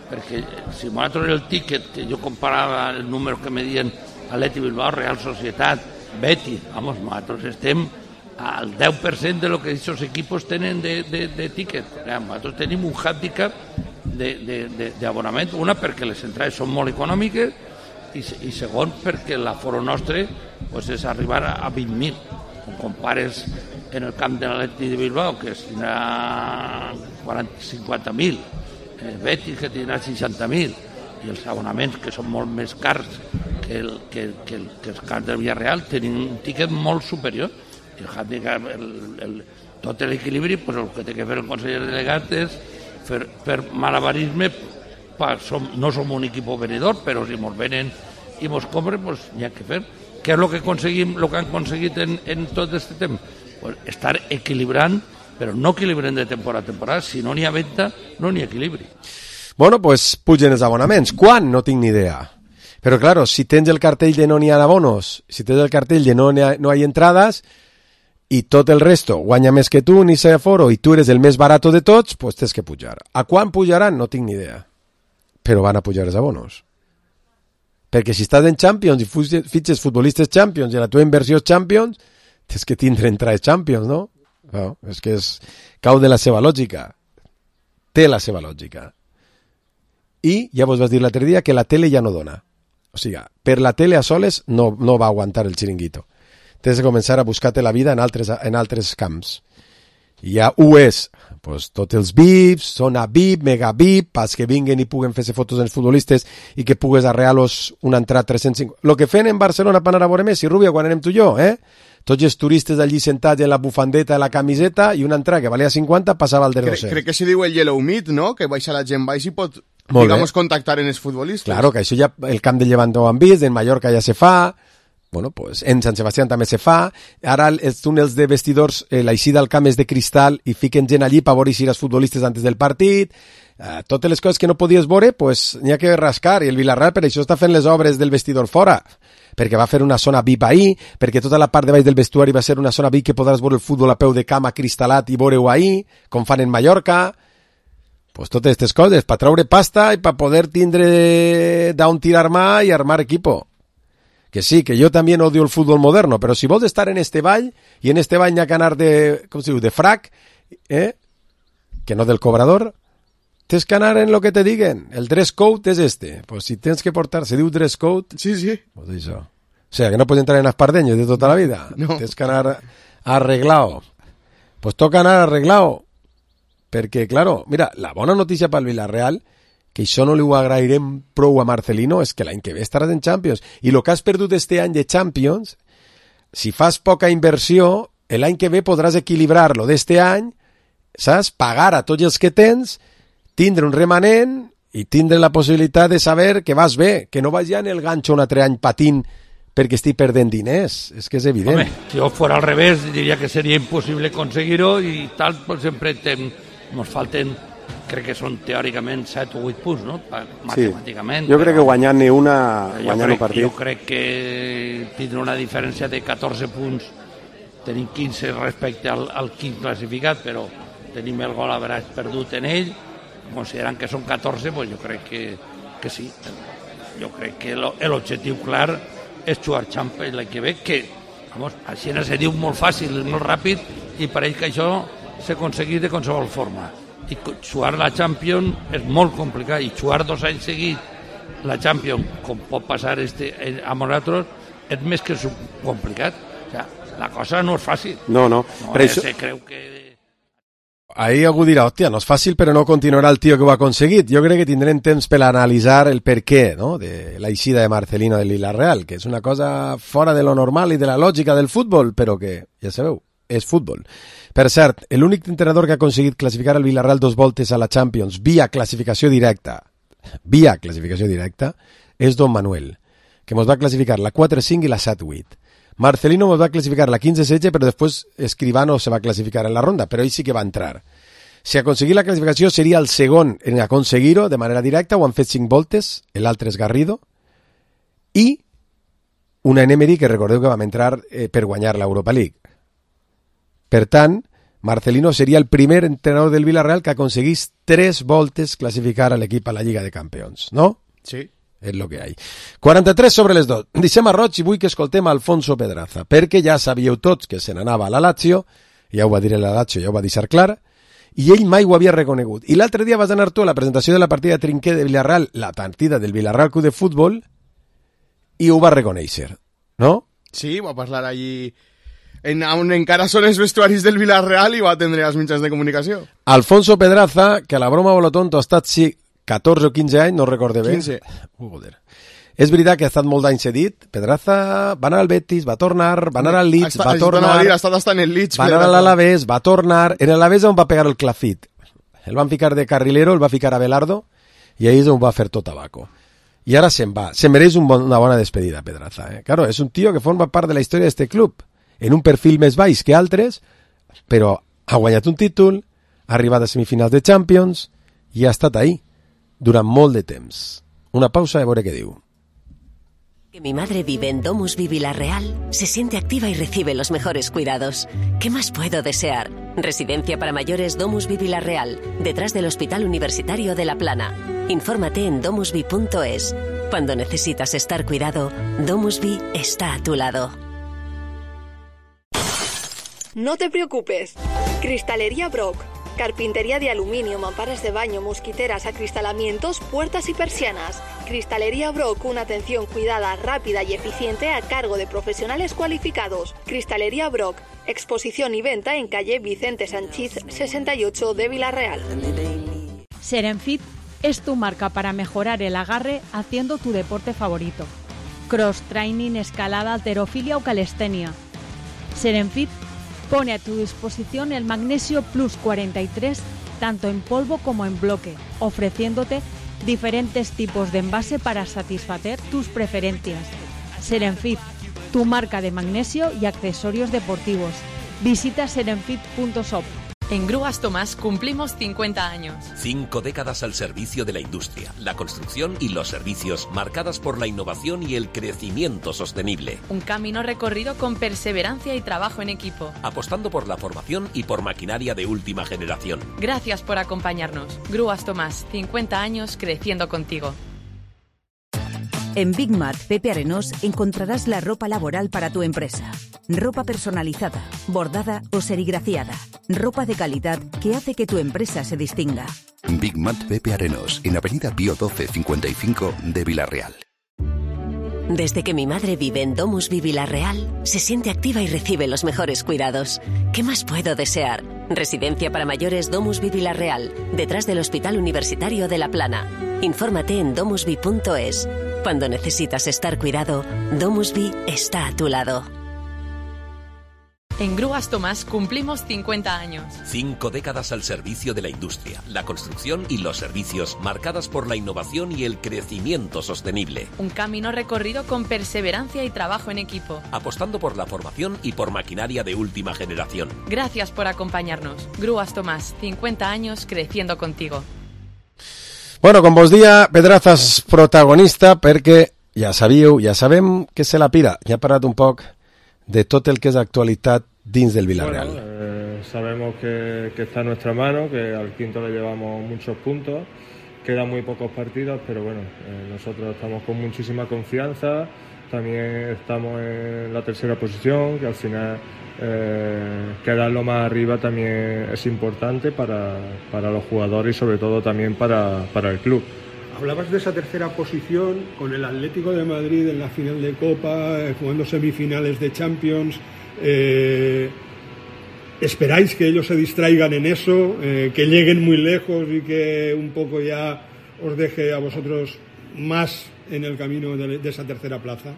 perquè si nosaltres el tiquet, que jo comparava el número que me dien Atleti Bilbao, Real Societat, Betis, vamos, nosaltres estem al deu per cent de lo que aquests equipos tenen de, de, de tiquet. Nosaltres tenim un handicap d'abonament, una perquè les entrades són molt econòmiques i, i segon perquè l'aforo nostre pues, és arribar a vint mil. Quan compares en el camp de l'Atleti de Bilbao, que és tindrà quaranta, cinquanta mil, el Betis que tindrà seixanta mil, i els abonaments que són molt més cars que, el, que, que, el, que els camps del Villarreal tenen un tiquet molt superior. I el handicap, el, el, tot l'equilibri, pues, el que té que fer el conseller delegat és fer, fer malabarisme. Pa, som, no som un equip venedor, però si ens venen i ens compren, pues n'hi ha que fer. Què és el que aconseguim, el que han aconseguit en, en tot aquest temps? Pues estar equilibrant, però no equilibrant de temporada a temporada. Si no n'hi ha venda, no n'hi ha equilibri. Bueno, pues pugen els abonaments. Quan? No tinc ni idea. Però, claro, si tens el cartell de no n'hi ha abonos, si tens el cartell de no hi ha, no hi ha entrades, i tot el resto guanya més que tu, ni sé aforo, i tu eres el més barato de tots, pues tens que pujar. A quan pujaran? No tinc ni idea. Però van a pujar els abonos. Perquè si estàs en Champions i fitxes futbolistes Champions i la teva inversió és Champions, tens que tindre entrades Champions, no? No, és que és, cau de la seva lògica. Té la seva lògica. I ja vos vas dir l'altre dia que la tele ja no dona. O sigui, per la tele a soles no, no va aguantar el xiringuito. Tens de començar a buscar-te la vida en altres, en altres camps. I ja ho és. Pues tots els V I Ps, zona V I P, mega V I P, pas que vinguen i puguen fer-se fotos dels futbolistes i que pugues arrear-los una entrada tres-cents cinquanta. Lo que feien en Barcelona per anar a veure Messi, Rubio, quan anem tu i jo, eh? Tots els turistes allí sentats en la bufandeta, la camiseta, i una entrada que valia cinquanta passava al de dos cents. Crec que se diu el Yellow Meat, no? Que baixa la gent baix i pot, digamos, contactar en els futbolistes. Claro, que això ja, el camp de Llevant ho han vist, en Mallorca ja se fa... Bueno, pues en Sant Sebastián també se fa. Ara els túnels de vestidors, eh, l'eixida al camp és de cristal i fiquen gent allí per veure si els futbolistes antes del partit. Eh, totes les coses que no podies veure, pues n'hi ha que rascar. I el Villarreal per això està fent les obres del vestidor fora, perquè va fer una zona V I P ahir, perquè tota la part de baix del vestuari va ser una zona V I P que podràs veure el futbol a peu de cama cristal·lat i veure-ho ahir, com fan en Mallorca. Pues totes aquestes coses, per treure pasta i per poder tindre d'on tirar mà i armar equipo. Que sí, que yo también odio el fútbol moderno, pero si vos estar en este ball, y en este ball n'hi ha que anar de, com se diu, de frac, eh? Que no del cobrador, tens que anar en lo que te diguen. El dress code és este. Pues si tens que portar, se diu dress code... Sí, sí. Pues això. O sea, que no pots entrar en espardeños de tota la vida. No. Tens que anar arreglado. Pues toca anar arreglado. Perquè, claro, mira, la bona notícia pel Villarreal, que això no li ho agrairem prou a Marcelino, és que l'any que ve estaràs en Champions. I el que has perdut este any de Champions, si fas poca inversió, l'any que ve podràs equilibrar-lo d'este any saps? Pagar a tots els que tens, tindre un remanent i tindre la possibilitat de saber que vas bé, que no vas ja en el ganxo un altre any patint perquè estic perdent diners. És que és evident. Home, si jo fora al revés, diria que seria impossible conseguir-ho i tal, pues sempre ens falten, crec que són teòricament set o vuit punts, no? Matemàticament. Sí. Jo crec però, que guanyant-ne una, guanyant un partit. Jo crec que tindrà una diferència de catorze punts, tenim quinze respecte al, al quint classificat, però tenim el gol average perdut en ell, considerant que són catorze, pues jo crec que, que sí. Jo crec que l'objectiu clar és jugar Champions l'any que ve, que, vamos, així se diu molt fàcil, molt ràpid, i pareix que això s'aconsegueix de qualsevol forma. I jugar la Champions és molt complicat, i jugar dos anys seguits la Champions, com pot passar este, amb nosaltres, és més que complicat. O sea, la cosa no és fàcil. No, no. No Però és, això... se creu que... Ahí algú dirà, hòstia, no és fàcil, però no continuarà el tio que ho ha aconseguit. Jo crec que tindrem temps per analitzar el per què, no?, de la eixida de Marcelino del Villarreal, que és una cosa fora de lo normal i de la lògica del futbol, però que, ja sabeu, és futbol. Per cert, l'únic entrenador que ha aconseguit classificar el Villarreal dos voltes a la Champions via classificació directa, via classificació directa, és Don Manuel, que mos va classificar la quatre cinc i la set vuit. Marcelino mos va classificar la quinze setze, però després Escribano se va classificar en la ronda, però ell sí que va entrar. Si aconseguir la classificació seria el segon en aconseguir-ho de manera directa, ho han fet cinc voltes, l'altre és Garrido, i una Emery que recordeu que vam entrar eh, per guanyar l'Europa League. Per tant, Marcelino seria el primer entrenador del Villarreal que aconseguís tres voltes classificar a l'equip a la Lliga de Campions, no? Sí. És el que hi ha. quaranta-tres sobre les dos. Deixem a Roig i vull que escoltem Alfonso Pedraza, perquè ja sabíeu tots que se n'anava a la Lazio, ja ho va dir la Lazio, ja ho va deixar clar, i ell mai ho havia reconegut. I l'altre dia vas anar tu a la presentació de la partida de Trinquer de Villarreal, la partida del Villarreal Club de Futbol, i ho va reconèixer, no? Sí, va parlar allí en, on encara són els vestuaris del Villarreal i va atendre els mitjans de comunicació. Alfonso Pedraza, que a la broma o lo tonto ha estat sí, catorze o quinze anys, no recorde bé. quinze. Uh, joder. És veritat que ha estat molt d'anys cedit. Pedraza va anar al Betis, va tornar, va anar al Leeds, va tornar, dir, ha estat hasta en el Leeds, va anar a l'Alavés, va tornar. En l'Alavés on va pegar el clafit. El van ficar de carrilero, el va ficar a Belardo, i ahí és on va fer tot tabaco. I ara se'n va. Se mereix un bon, una bona despedida, Pedraza. Eh? Claro, és un tio que forma part de la història d'este club, en un perfil més baix que altres, però ha guanyat un títol, ha arribat a semifinals de Champions i ha estat ahí durant molt de temps. Una pausa i a veure què diu. Que mi madre vive en Domusvi Villarreal, se siente activa y recibe los mejores cuidados. ¿Qué más puedo desear? Residencia para mayores Domusvi Villarreal, detrás del Hospital Universitario de La Plana. Infórmate en domusvi punto es. Cuando necesitas estar cuidado, Domusvi está a tu lado. No te preocupes. Cristalería Brock. Carpintería de aluminio, mamparas de baño, mosquiteras, acristalamientos, puertas y persianas. Cristalería Brock, una atención cuidada, rápida y eficiente a cargo de profesionales cualificados. Cristalería Brock, exposición y venta en calle Vicente Sanchís sesenta y ocho de Villarreal. Serenfit es tu marca para mejorar el agarre haciendo tu deporte favorito. Cross training, escalada, halterofilia o calistenia. Serenfit pone a tu disposición el Magnesio Plus cuarenta y tres, tanto en polvo como en bloque, ofreciéndote diferentes tipos de envase para satisfacer tus preferencias. Serenfit, tu marca de magnesio y accesorios deportivos. Visita serenfit punto shop. En Grúas Tomás cumplimos cincuenta años. Cinco décadas al servicio de la industria, la construcción y los servicios, marcadas por la innovación y el crecimiento sostenible. Un camino recorrido con perseverancia y trabajo en equipo. Apostando por la formación y por maquinaria de última generación. Gracias por acompañarnos. Grúas Tomás, cincuenta años creciendo contigo. En Big Mat Pepe Arenós encontrarás la ropa laboral para tu empresa. Ropa personalizada, bordada o serigrafiada. Ropa de calidad que hace que tu empresa se distinga. Big Mat Pepe Arenós, en Avenida Pío doce cincuenta y cinco de Villarreal. Desde que mi madre vive en Domusvi Villarreal, se siente activa y recibe los mejores cuidados. ¿Qué más puedo desear? Residencia para mayores Domusvi Villarreal, detrás del Hospital Universitario de La Plana. Infórmate en domusvi punto es. Cuando necesitas estar cuidado, Domusvi está a tu lado. En Grúas Tomás cumplimos cincuenta años. Cinco décadas al servicio de la industria, la construcción y los servicios, marcadas por la innovación y el crecimiento sostenible. Un camino recorrido con perseverancia y trabajo en equipo. Apostando por la formación y por maquinaria de última generación. Gracias por acompañarnos. Grúas Tomás, cincuenta años creciendo contigo. Bueno, com vos dia, Pedrazas protagonista, perquè ja sabíeu, ja sabem que se la pira. Ja ha parlat un poc de tot el que és actualitat dins del Villarreal. Bueno, eh, sabemos que, que está en nuestra mano, que al quinto le llevamos muchos puntos, quedan muy pocos partidos, pero bueno, eh, nosotros estamos con muchísima confianza, también estamos en la tercera posición, que al final eh, quedarlo más arriba también es importante para, para los jugadores y sobre todo también para, para el club. Hablabas de esa tercera posición con el Atlético de Madrid en la final de Copa, eh, jugando semifinales de Champions. Eh, ¿Esperáis que ellos se distraigan en eso, eh, que lleguen muy lejos y que un poco ya os deje a vosotros más en el camino de, de esa tercera plaza?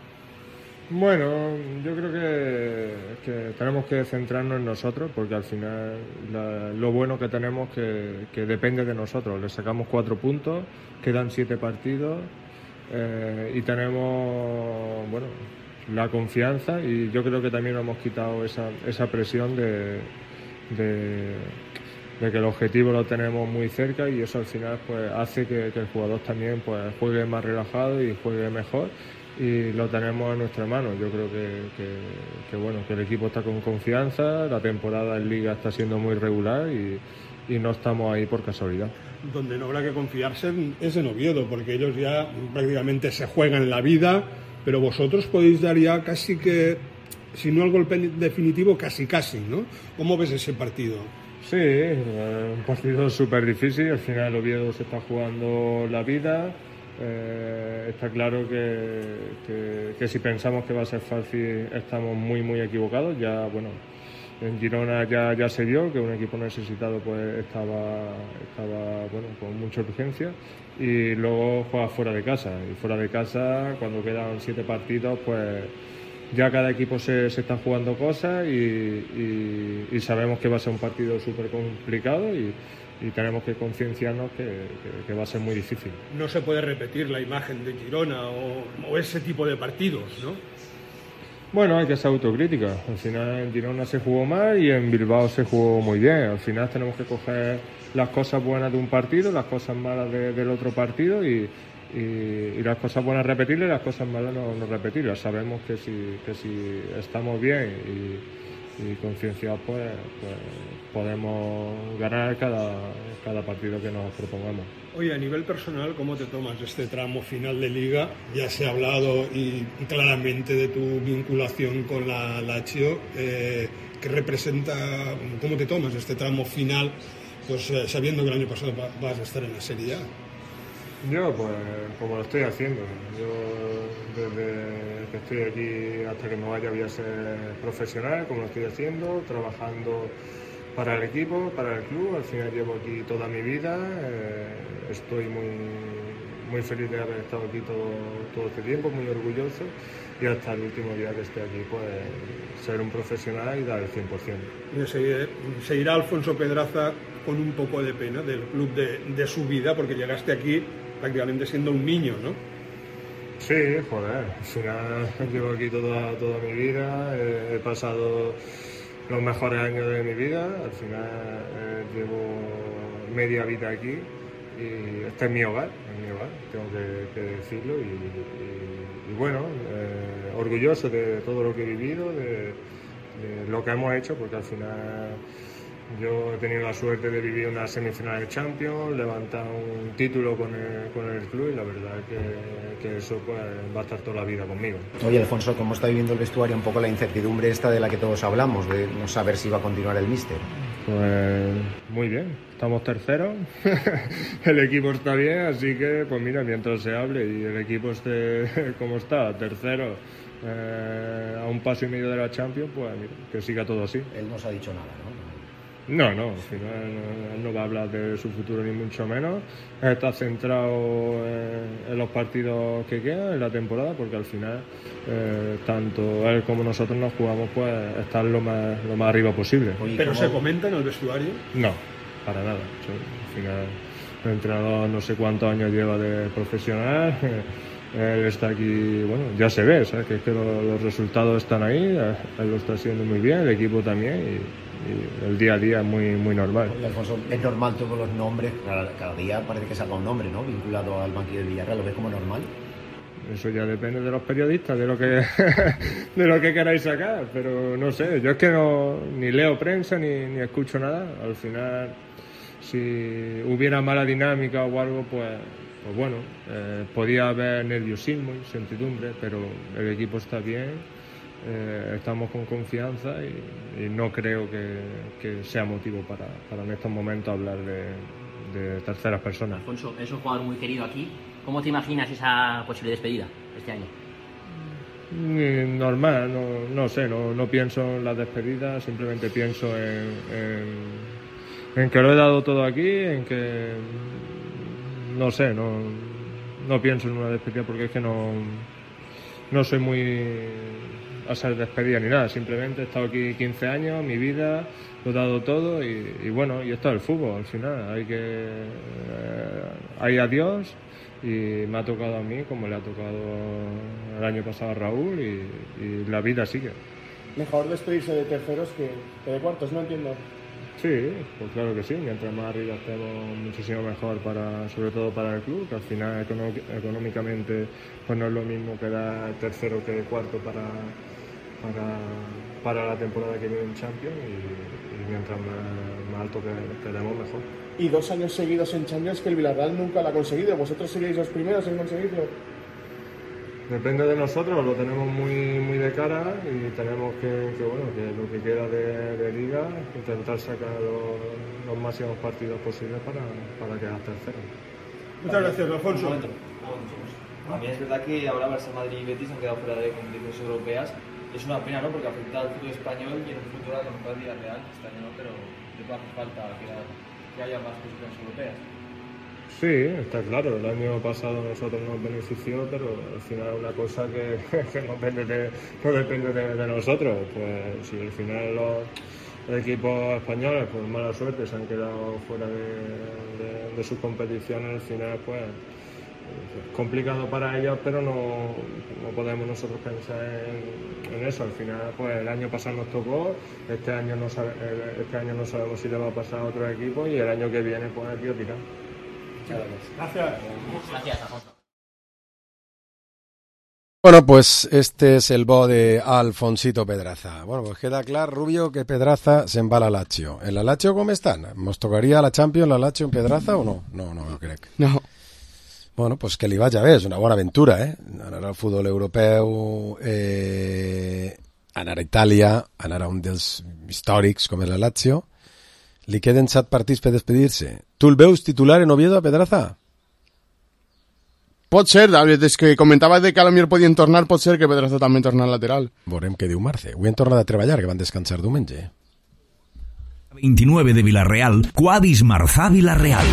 Bueno, yo creo que, que tenemos que centrarnos en nosotros, porque al final la, lo bueno que tenemos que, que depende de nosotros. Le sacamos cuatro puntos, quedan siete partidos eh, y tenemos, bueno, la confianza, y yo creo que también hemos quitado esa, esa presión de, de, de que el objetivo lo tenemos muy cerca, y eso al final pues hace que, que el jugador también pues juegue más relajado y juegue mejor. Y lo tenemos en nuestra mano. Yo creo que, que, que bueno, que el equipo está con confianza, la temporada en Liga está siendo muy regular y, y no estamos ahí por casualidad. Donde no habrá que confiarse es en Oviedo, porque ellos ya prácticamente se juegan la vida, pero vosotros podéis dar ya casi que, si no el golpe definitivo, casi casi, ¿no? ¿Cómo ves ese partido? Sí, un partido súper difícil. Al final Oviedo se está jugando la vida. Eh, está claro que, que, que si pensamos que va a ser fácil estamos muy muy equivocados. Ya bueno, en Girona ya, ya se vio que un equipo necesitado pues estaba, estaba bueno, con mucha urgencia, y luego juega fuera de casa, y fuera de casa cuando quedan siete partidos pues ya cada equipo se, se está jugando cosas, y, y, y sabemos que va a ser un partido súper complicado, y y tenemos que concienciarnos que, que, que va a ser muy difícil. No se puede repetir la imagen de Girona o, o ese tipo de partidos, ¿no? Bueno, hay que ser autocrítica. Al final en Girona se jugó mal y en Bilbao se jugó muy bien. Al final tenemos que coger las cosas buenas de un partido, las cosas malas de, del otro partido, y, y, y las cosas buenas repetirlas y las cosas malas no, no repetirlas. Sabemos que si, que si estamos bien y, y concienciados, pues, pues podemos ganar cada, cada partido que nos propongamos. Oye, a nivel personal, ¿cómo te tomas este tramo final de Liga? Ya se ha hablado y, y claramente de tu vinculación con la Lazio. Eh, ¿Qué representa, cómo te tomas este tramo final, pues eh, sabiendo que el año pasado va, vas a estar en la Serie A? Yo, pues, como lo estoy haciendo. Yo, desde que estoy aquí hasta que me vaya, voy a ser profesional, como lo estoy haciendo, trabajando para el equipo, para el club. Al final llevo aquí toda mi vida, eh, estoy muy, muy feliz de haber estado aquí todo, todo este tiempo, muy orgulloso, y hasta el último día que esté aquí, pues ser un profesional y dar el cien por ciento. Se, se irá Alfonso Pedraza con un poco de pena del club de, de su vida, porque llegaste aquí prácticamente siendo un niño, ¿no? Sí, joder, al final llevo aquí toda, toda mi vida, eh, he pasado los mejores años de mi vida, al final eh, llevo media vida aquí, y este es mi hogar, es mi hogar, tengo que, que decirlo, y, y, y bueno, eh, orgulloso de todo lo que he vivido, de, de lo que hemos hecho, porque al final yo he tenido la suerte de vivir una semifinal de Champions, levantar un título con el, con el club, y la verdad que, que eso pues va a estar toda la vida conmigo. Oye, Alfonso, ¿cómo está viviendo el vestuario un poco la incertidumbre esta de la que todos hablamos, de no saber si va a continuar el míster? Pues muy bien, estamos terceros, el equipo está bien, así que pues mira, mientras se hable y el equipo esté como está, tercero, eh, a un paso y medio de la Champions, pues mira, que siga todo así. Él no os ha dicho nada, ¿no? No, no, al final no, no va a hablar de su futuro ni mucho menos. Está centrado en, en los partidos que quedan, en la temporada, porque al final eh, tanto él como nosotros nos jugamos pues estar lo más, lo más arriba posible. ¿Pero se comenta en el vestuario? No, para nada. Al final el entrenador no sé cuántos años lleva de profesional. Él está aquí, bueno, ya se ve, ¿sabes? Que es que los, los resultados están ahí, él lo está haciendo muy bien, el equipo también, y, y el día a día es muy, muy normal. Oye, Alfonso, es normal todos los nombres, cada, cada día parece que salga un nombre, ¿no?, vinculado al banquillo del Villarreal, ¿lo ves como normal? Eso ya depende de los periodistas, de lo que de lo que queráis sacar, pero no sé, yo es que no ni leo prensa ni, ni escucho nada. Al final, si hubiera mala dinámica o algo, pues Pues bueno, eh, podía haber nerviosismo y incertidumbre, pero el equipo está bien, eh, estamos con confianza y, y no creo que, que sea motivo para, para en estos momentos hablar de, de terceras personas. Alfonso, es un jugador muy querido aquí. ¿Cómo te imaginas esa posible despedida este año? Normal, no, no sé, no, no pienso en las despedidas, simplemente pienso en, en, en que lo he dado todo aquí, en que... No sé, no, no pienso en una despedida porque es que no, no soy muy a ser despedida ni nada. Simplemente he estado aquí quince años, mi vida, lo he dado todo y, y bueno, y esto es el fútbol al final. Hay que eh, hay adiós y me ha tocado a mí como le ha tocado el año pasado a Raúl y, y la vida sigue. Mejor despedirse de terceros que, que de cuartos, no entiendo. Sí, pues claro que sí, mientras más arriba estemos muchísimo mejor, para, sobre todo para el club, que al final económicamente pues no es lo mismo quedar tercero que cuarto para, para, para la temporada que viene en Champions y, y mientras más, más alto quedemos mejor. Y dos años seguidos en Champions que el Villarreal nunca lo ha conseguido, ¿vosotros seríais los primeros en conseguirlo? Depende de nosotros, lo tenemos muy muy de cara y tenemos que, que bueno, que lo que queda de, de liga, intentar sacar los, los máximos partidos posibles para, para quedar tercero. Muchas gracias, Alfonso. A mí es verdad que ahora Barça, Madrid y Betis han quedado fuera de competiciones europeas. Es una pena, ¿no?, porque afecta al fútbol español y en un futuro a lo mejor al Villarreal, este año no, pero de todas hace falta que, que haya más posiciones europeas. Sí, está claro, el año pasado nosotros nos benefició, pero al final una cosa que, que no depende, de, no depende de, de nosotros. Pues si al final los equipos españoles, por mala suerte, se han quedado fuera de, de, de sus competiciones, al final pues es complicado para ellos, pero no, no podemos nosotros pensar en, en eso. Al final pues el año pasado nos tocó, este año no sabe, este año no sabemos si le va a pasar a otro equipo y el año que viene pues el tío tira. Gracias. Gracias, Alfonso. Bueno, pues este es el bo de Alfonsito Pedraza. Bueno, pues queda clar, Rubio, que Pedraza se'n va a la Lazio. ¿En la Lazio com estan? ¿Mos tocaria la Champions, la Lazio en Pedraza o no? No, no, no crec. No. Bueno, pues que li vagi bé, és una bona aventura, eh? Anar al futbol europeu, eh, anar a Itàlia, anar a un dels històrics com és la Lazio. Li queden set partits per despedir-se. Tu el veus titular en Oviedo a Pedraza? Pot ser, David, és que comentaves de que a lo millor podien tornar, pot ser que Pedraza també torna al lateral. Veurem què diu Marce. Avui han tornat a treballar, que van descansar diumenge. veintinueve de Villarreal, Quadis Marzá Villarreal.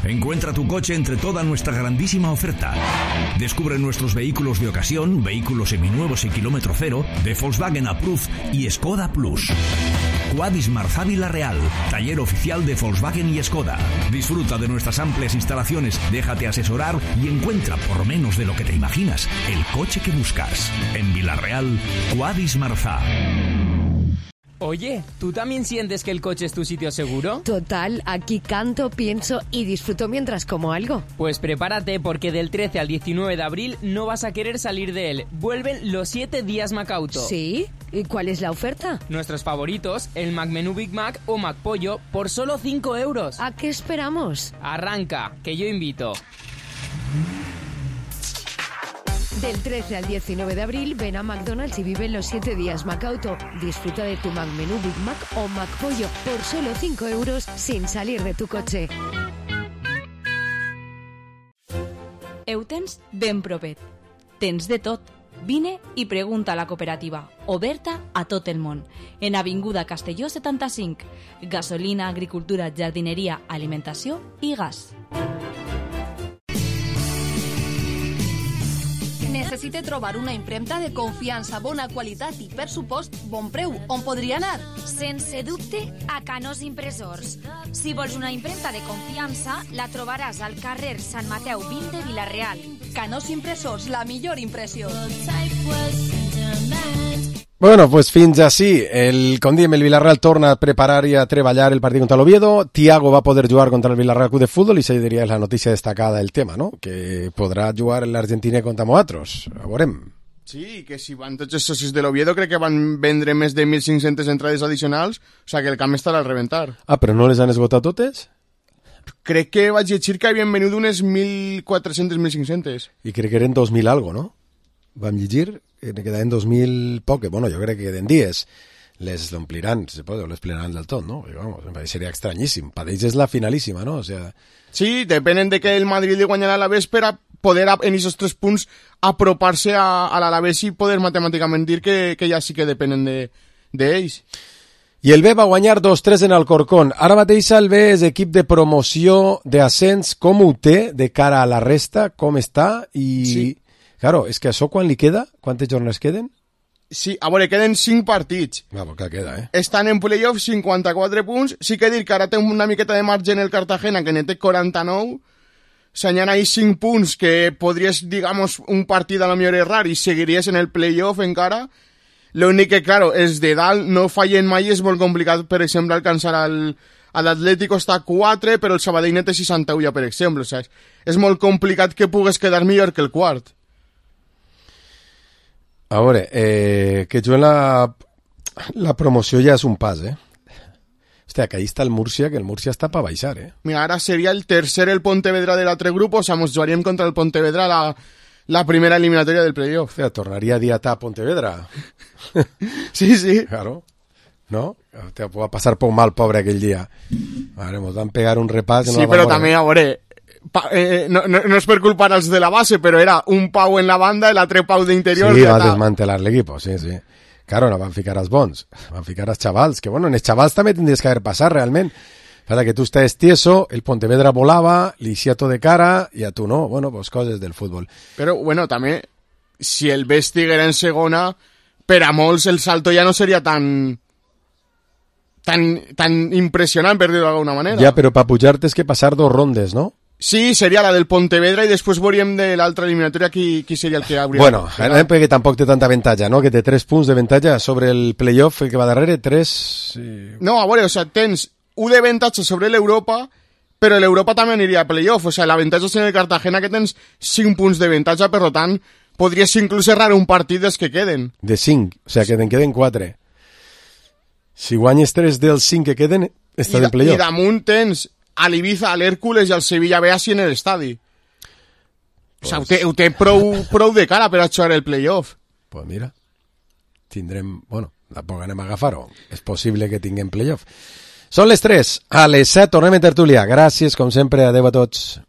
Encuentra tu coche entre toda nuestra grandísima oferta. Descubre nuestros vehículos de ocasión, vehículos seminuevos y kilómetro cero, de Volkswagen Approved y Skoda Plus. Quadis Marzá Villarreal, taller oficial de Volkswagen y Skoda. Disfruta de nuestras amplias instalaciones, déjate asesorar y encuentra, por menos de lo que te imaginas, el coche que buscas. En Villarreal, Quadis Marzá. Oye, ¿tú también sientes que el coche es tu sitio seguro? Total, aquí canto, pienso y disfruto mientras como algo. Pues prepárate, porque del trece al diecinueve de abril no vas a querer salir de él. Vuelven los siete días Macauto. ¿Sí? ¿Y cuál es la oferta? Nuestros favoritos, el Mac Menú Big Mac o Mac Pollo, por solo cinco euros. ¿A qué esperamos? Arranca, que yo invito. Del trece al diecinueve de abril, ven a McDonald's y vive los siete días Macauto. Disfruta de tu Mac Menú Big Mac o Mac Pollo por solo cinco euros sin salir de tu coche. Eutens ben provet. Tens de tot. Vine i pregunta a la cooperativa, oberta a tot el món, en Avinguda Castelló setanta-cinc. Gasolina, agricultura, jardineria, alimentació i gas. Necessite trobar una impremta de confiança, bona qualitat i, per supost, bon preu. On podria anar? Sense dubte, a Canós Impressors. Si vols una impremta de confiança, la trobaràs al carrer Sant Mateu vint de Vila-real. Canós Impressors, la millor impressió. Bueno, pues fins així. El, com diem, el Villarreal torna a preparar i a treballar el partit contra l'Oviedo. Thiago va poder jugar contra el Villarreal Club de Fútbol i això diria és la notícia destacada del tema, no? Que podrà jugar l'Argentina contra nosaltres. A veurem. Sí, que si van tots els socis de l'Oviedo crec que van vendre més de mil cinc-centes entrades addicionals, o sigui que el camp estarà al reventar. Ah, però no les han esgotat totes? Crec que vaig llegir que havien venut unes mil quatre-centes, mil cinc-centes. I crec que eren dos mil algo, no? Vam llegir, que quedaven dos mil poc, bueno, jo crec que queden dies. Les ompliran, se pot, o les plenaran del tot, no? Perquè, vamos, em pareixeria estranyíssim. Per ells és la finalíssima, no? O sea... Sí, depenen de que el Madrid li guanyarà a l'Alavés per a poder, en aquests tres punts, apropar-se a, a l'Alavés i poder matemàticament dir que, que ja sí que depenen d'ells. De, I el B va guanyar dos tres en Alcorcón. Ara mateix el B és equip de promoció d'ascens. Com ho té de cara a la resta? Com està? I... Sí. Claro, és que això quan li queda? Quantes jornades queden? Sí, a veure, queden cinc partits. Va, perquè queda, eh? Estan en playoff cinquanta-quatre punts. Sí que dir que ara té una miqueta de marge en el Cartagena, que ne té quaranta-nou. S'anyant ahí cinc punts que podries, digamos, un partit a lo millor errar i seguiries en el playoff encara. L'únic que, claro, és de dalt, no fallen mai, és molt complicat, per exemple, alcançar al... l'Atlético està a quatre, però el Sabadell ne té seixanta-u ja, per exemple. O sigui, és molt complicat que pugues quedar millor que el quart. A veure, eh, que juguen la, la promoció ja és un pas, eh? Hòstia, que ahí està el Múrcia, que el Múrcia està per baixar, eh? Mira, ara seria el tercer el Pontevedra de l'altre grup, o sigui, ens jugaríem contra el Pontevedra la, la primera eliminatòria del playoff. Hòstia, tornaria a diatar Pontevedra. Sí, sí. Claro. ¿No? Hòstia, va passar poc mal, pobre, aquell dia. Vale, ens van pegar un repàs... Sí, no però també, a veure... Pa, eh, no, no, no és per culpar els de la base, però era un Pau en la banda i l'altre Pau d'interior. Sí, va desmantelar l'equip, sí, sí. Claro, no van ficar els bons, van ficar els xavals, que bueno, en els xavals també tindries que haver passat realment. Para que tu estàs tieso, el Pontevedra volava, li hacía todo de cara, i a tu no. Bueno, pues coses del futbol. Però, bueno, també, si el B estiguera en segona, per a molts el salto ja no seria tan... tan, tan impressionant, per dir-ho d'alguna manera. Ja, però per pujar tens que passar dos rondes, no? Sí, seria la del Pontevedra i després veuríem de l'altra eliminatòria qui, qui seria el que hauria... Bueno, perquè tampoc té tanta avantatge, no? Que té tres punts d'avantatge sobre el playoff, el que va darrere, tres... Sí. No, a veure, o sigui, tens un d'avantatge sobre l'Europa, però l'Europa també aniria a playoff, o sigui, l'avantatge és en el Cartagena que tens cinc punts d'avantatge, per tant, podries inclús errar un partit dels que queden. De cinc, o sigui, que te'n queden quatre. Si guanyes tres dels cinc que queden, està en playoff. I damunt tens... a l'Ibiza, a l'Hèrcules i al Sevilla B així en l'estadi. Pues... O sigui, ho té, ho té prou, prou de cara per a jugar el playoff. Pues mira, tindrem... Bueno, tampoc anem a agafar-ho. És possible que tinguem playoff. Són les tres. A les set tornem en tertúlia. Gràcies, com sempre. Adéu a tots.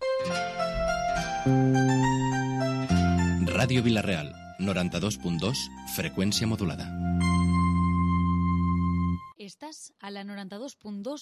Ràdio Vila-real, noranta-dos punt dos, freqüència modulada. Estàs a la noranta-dos punt dos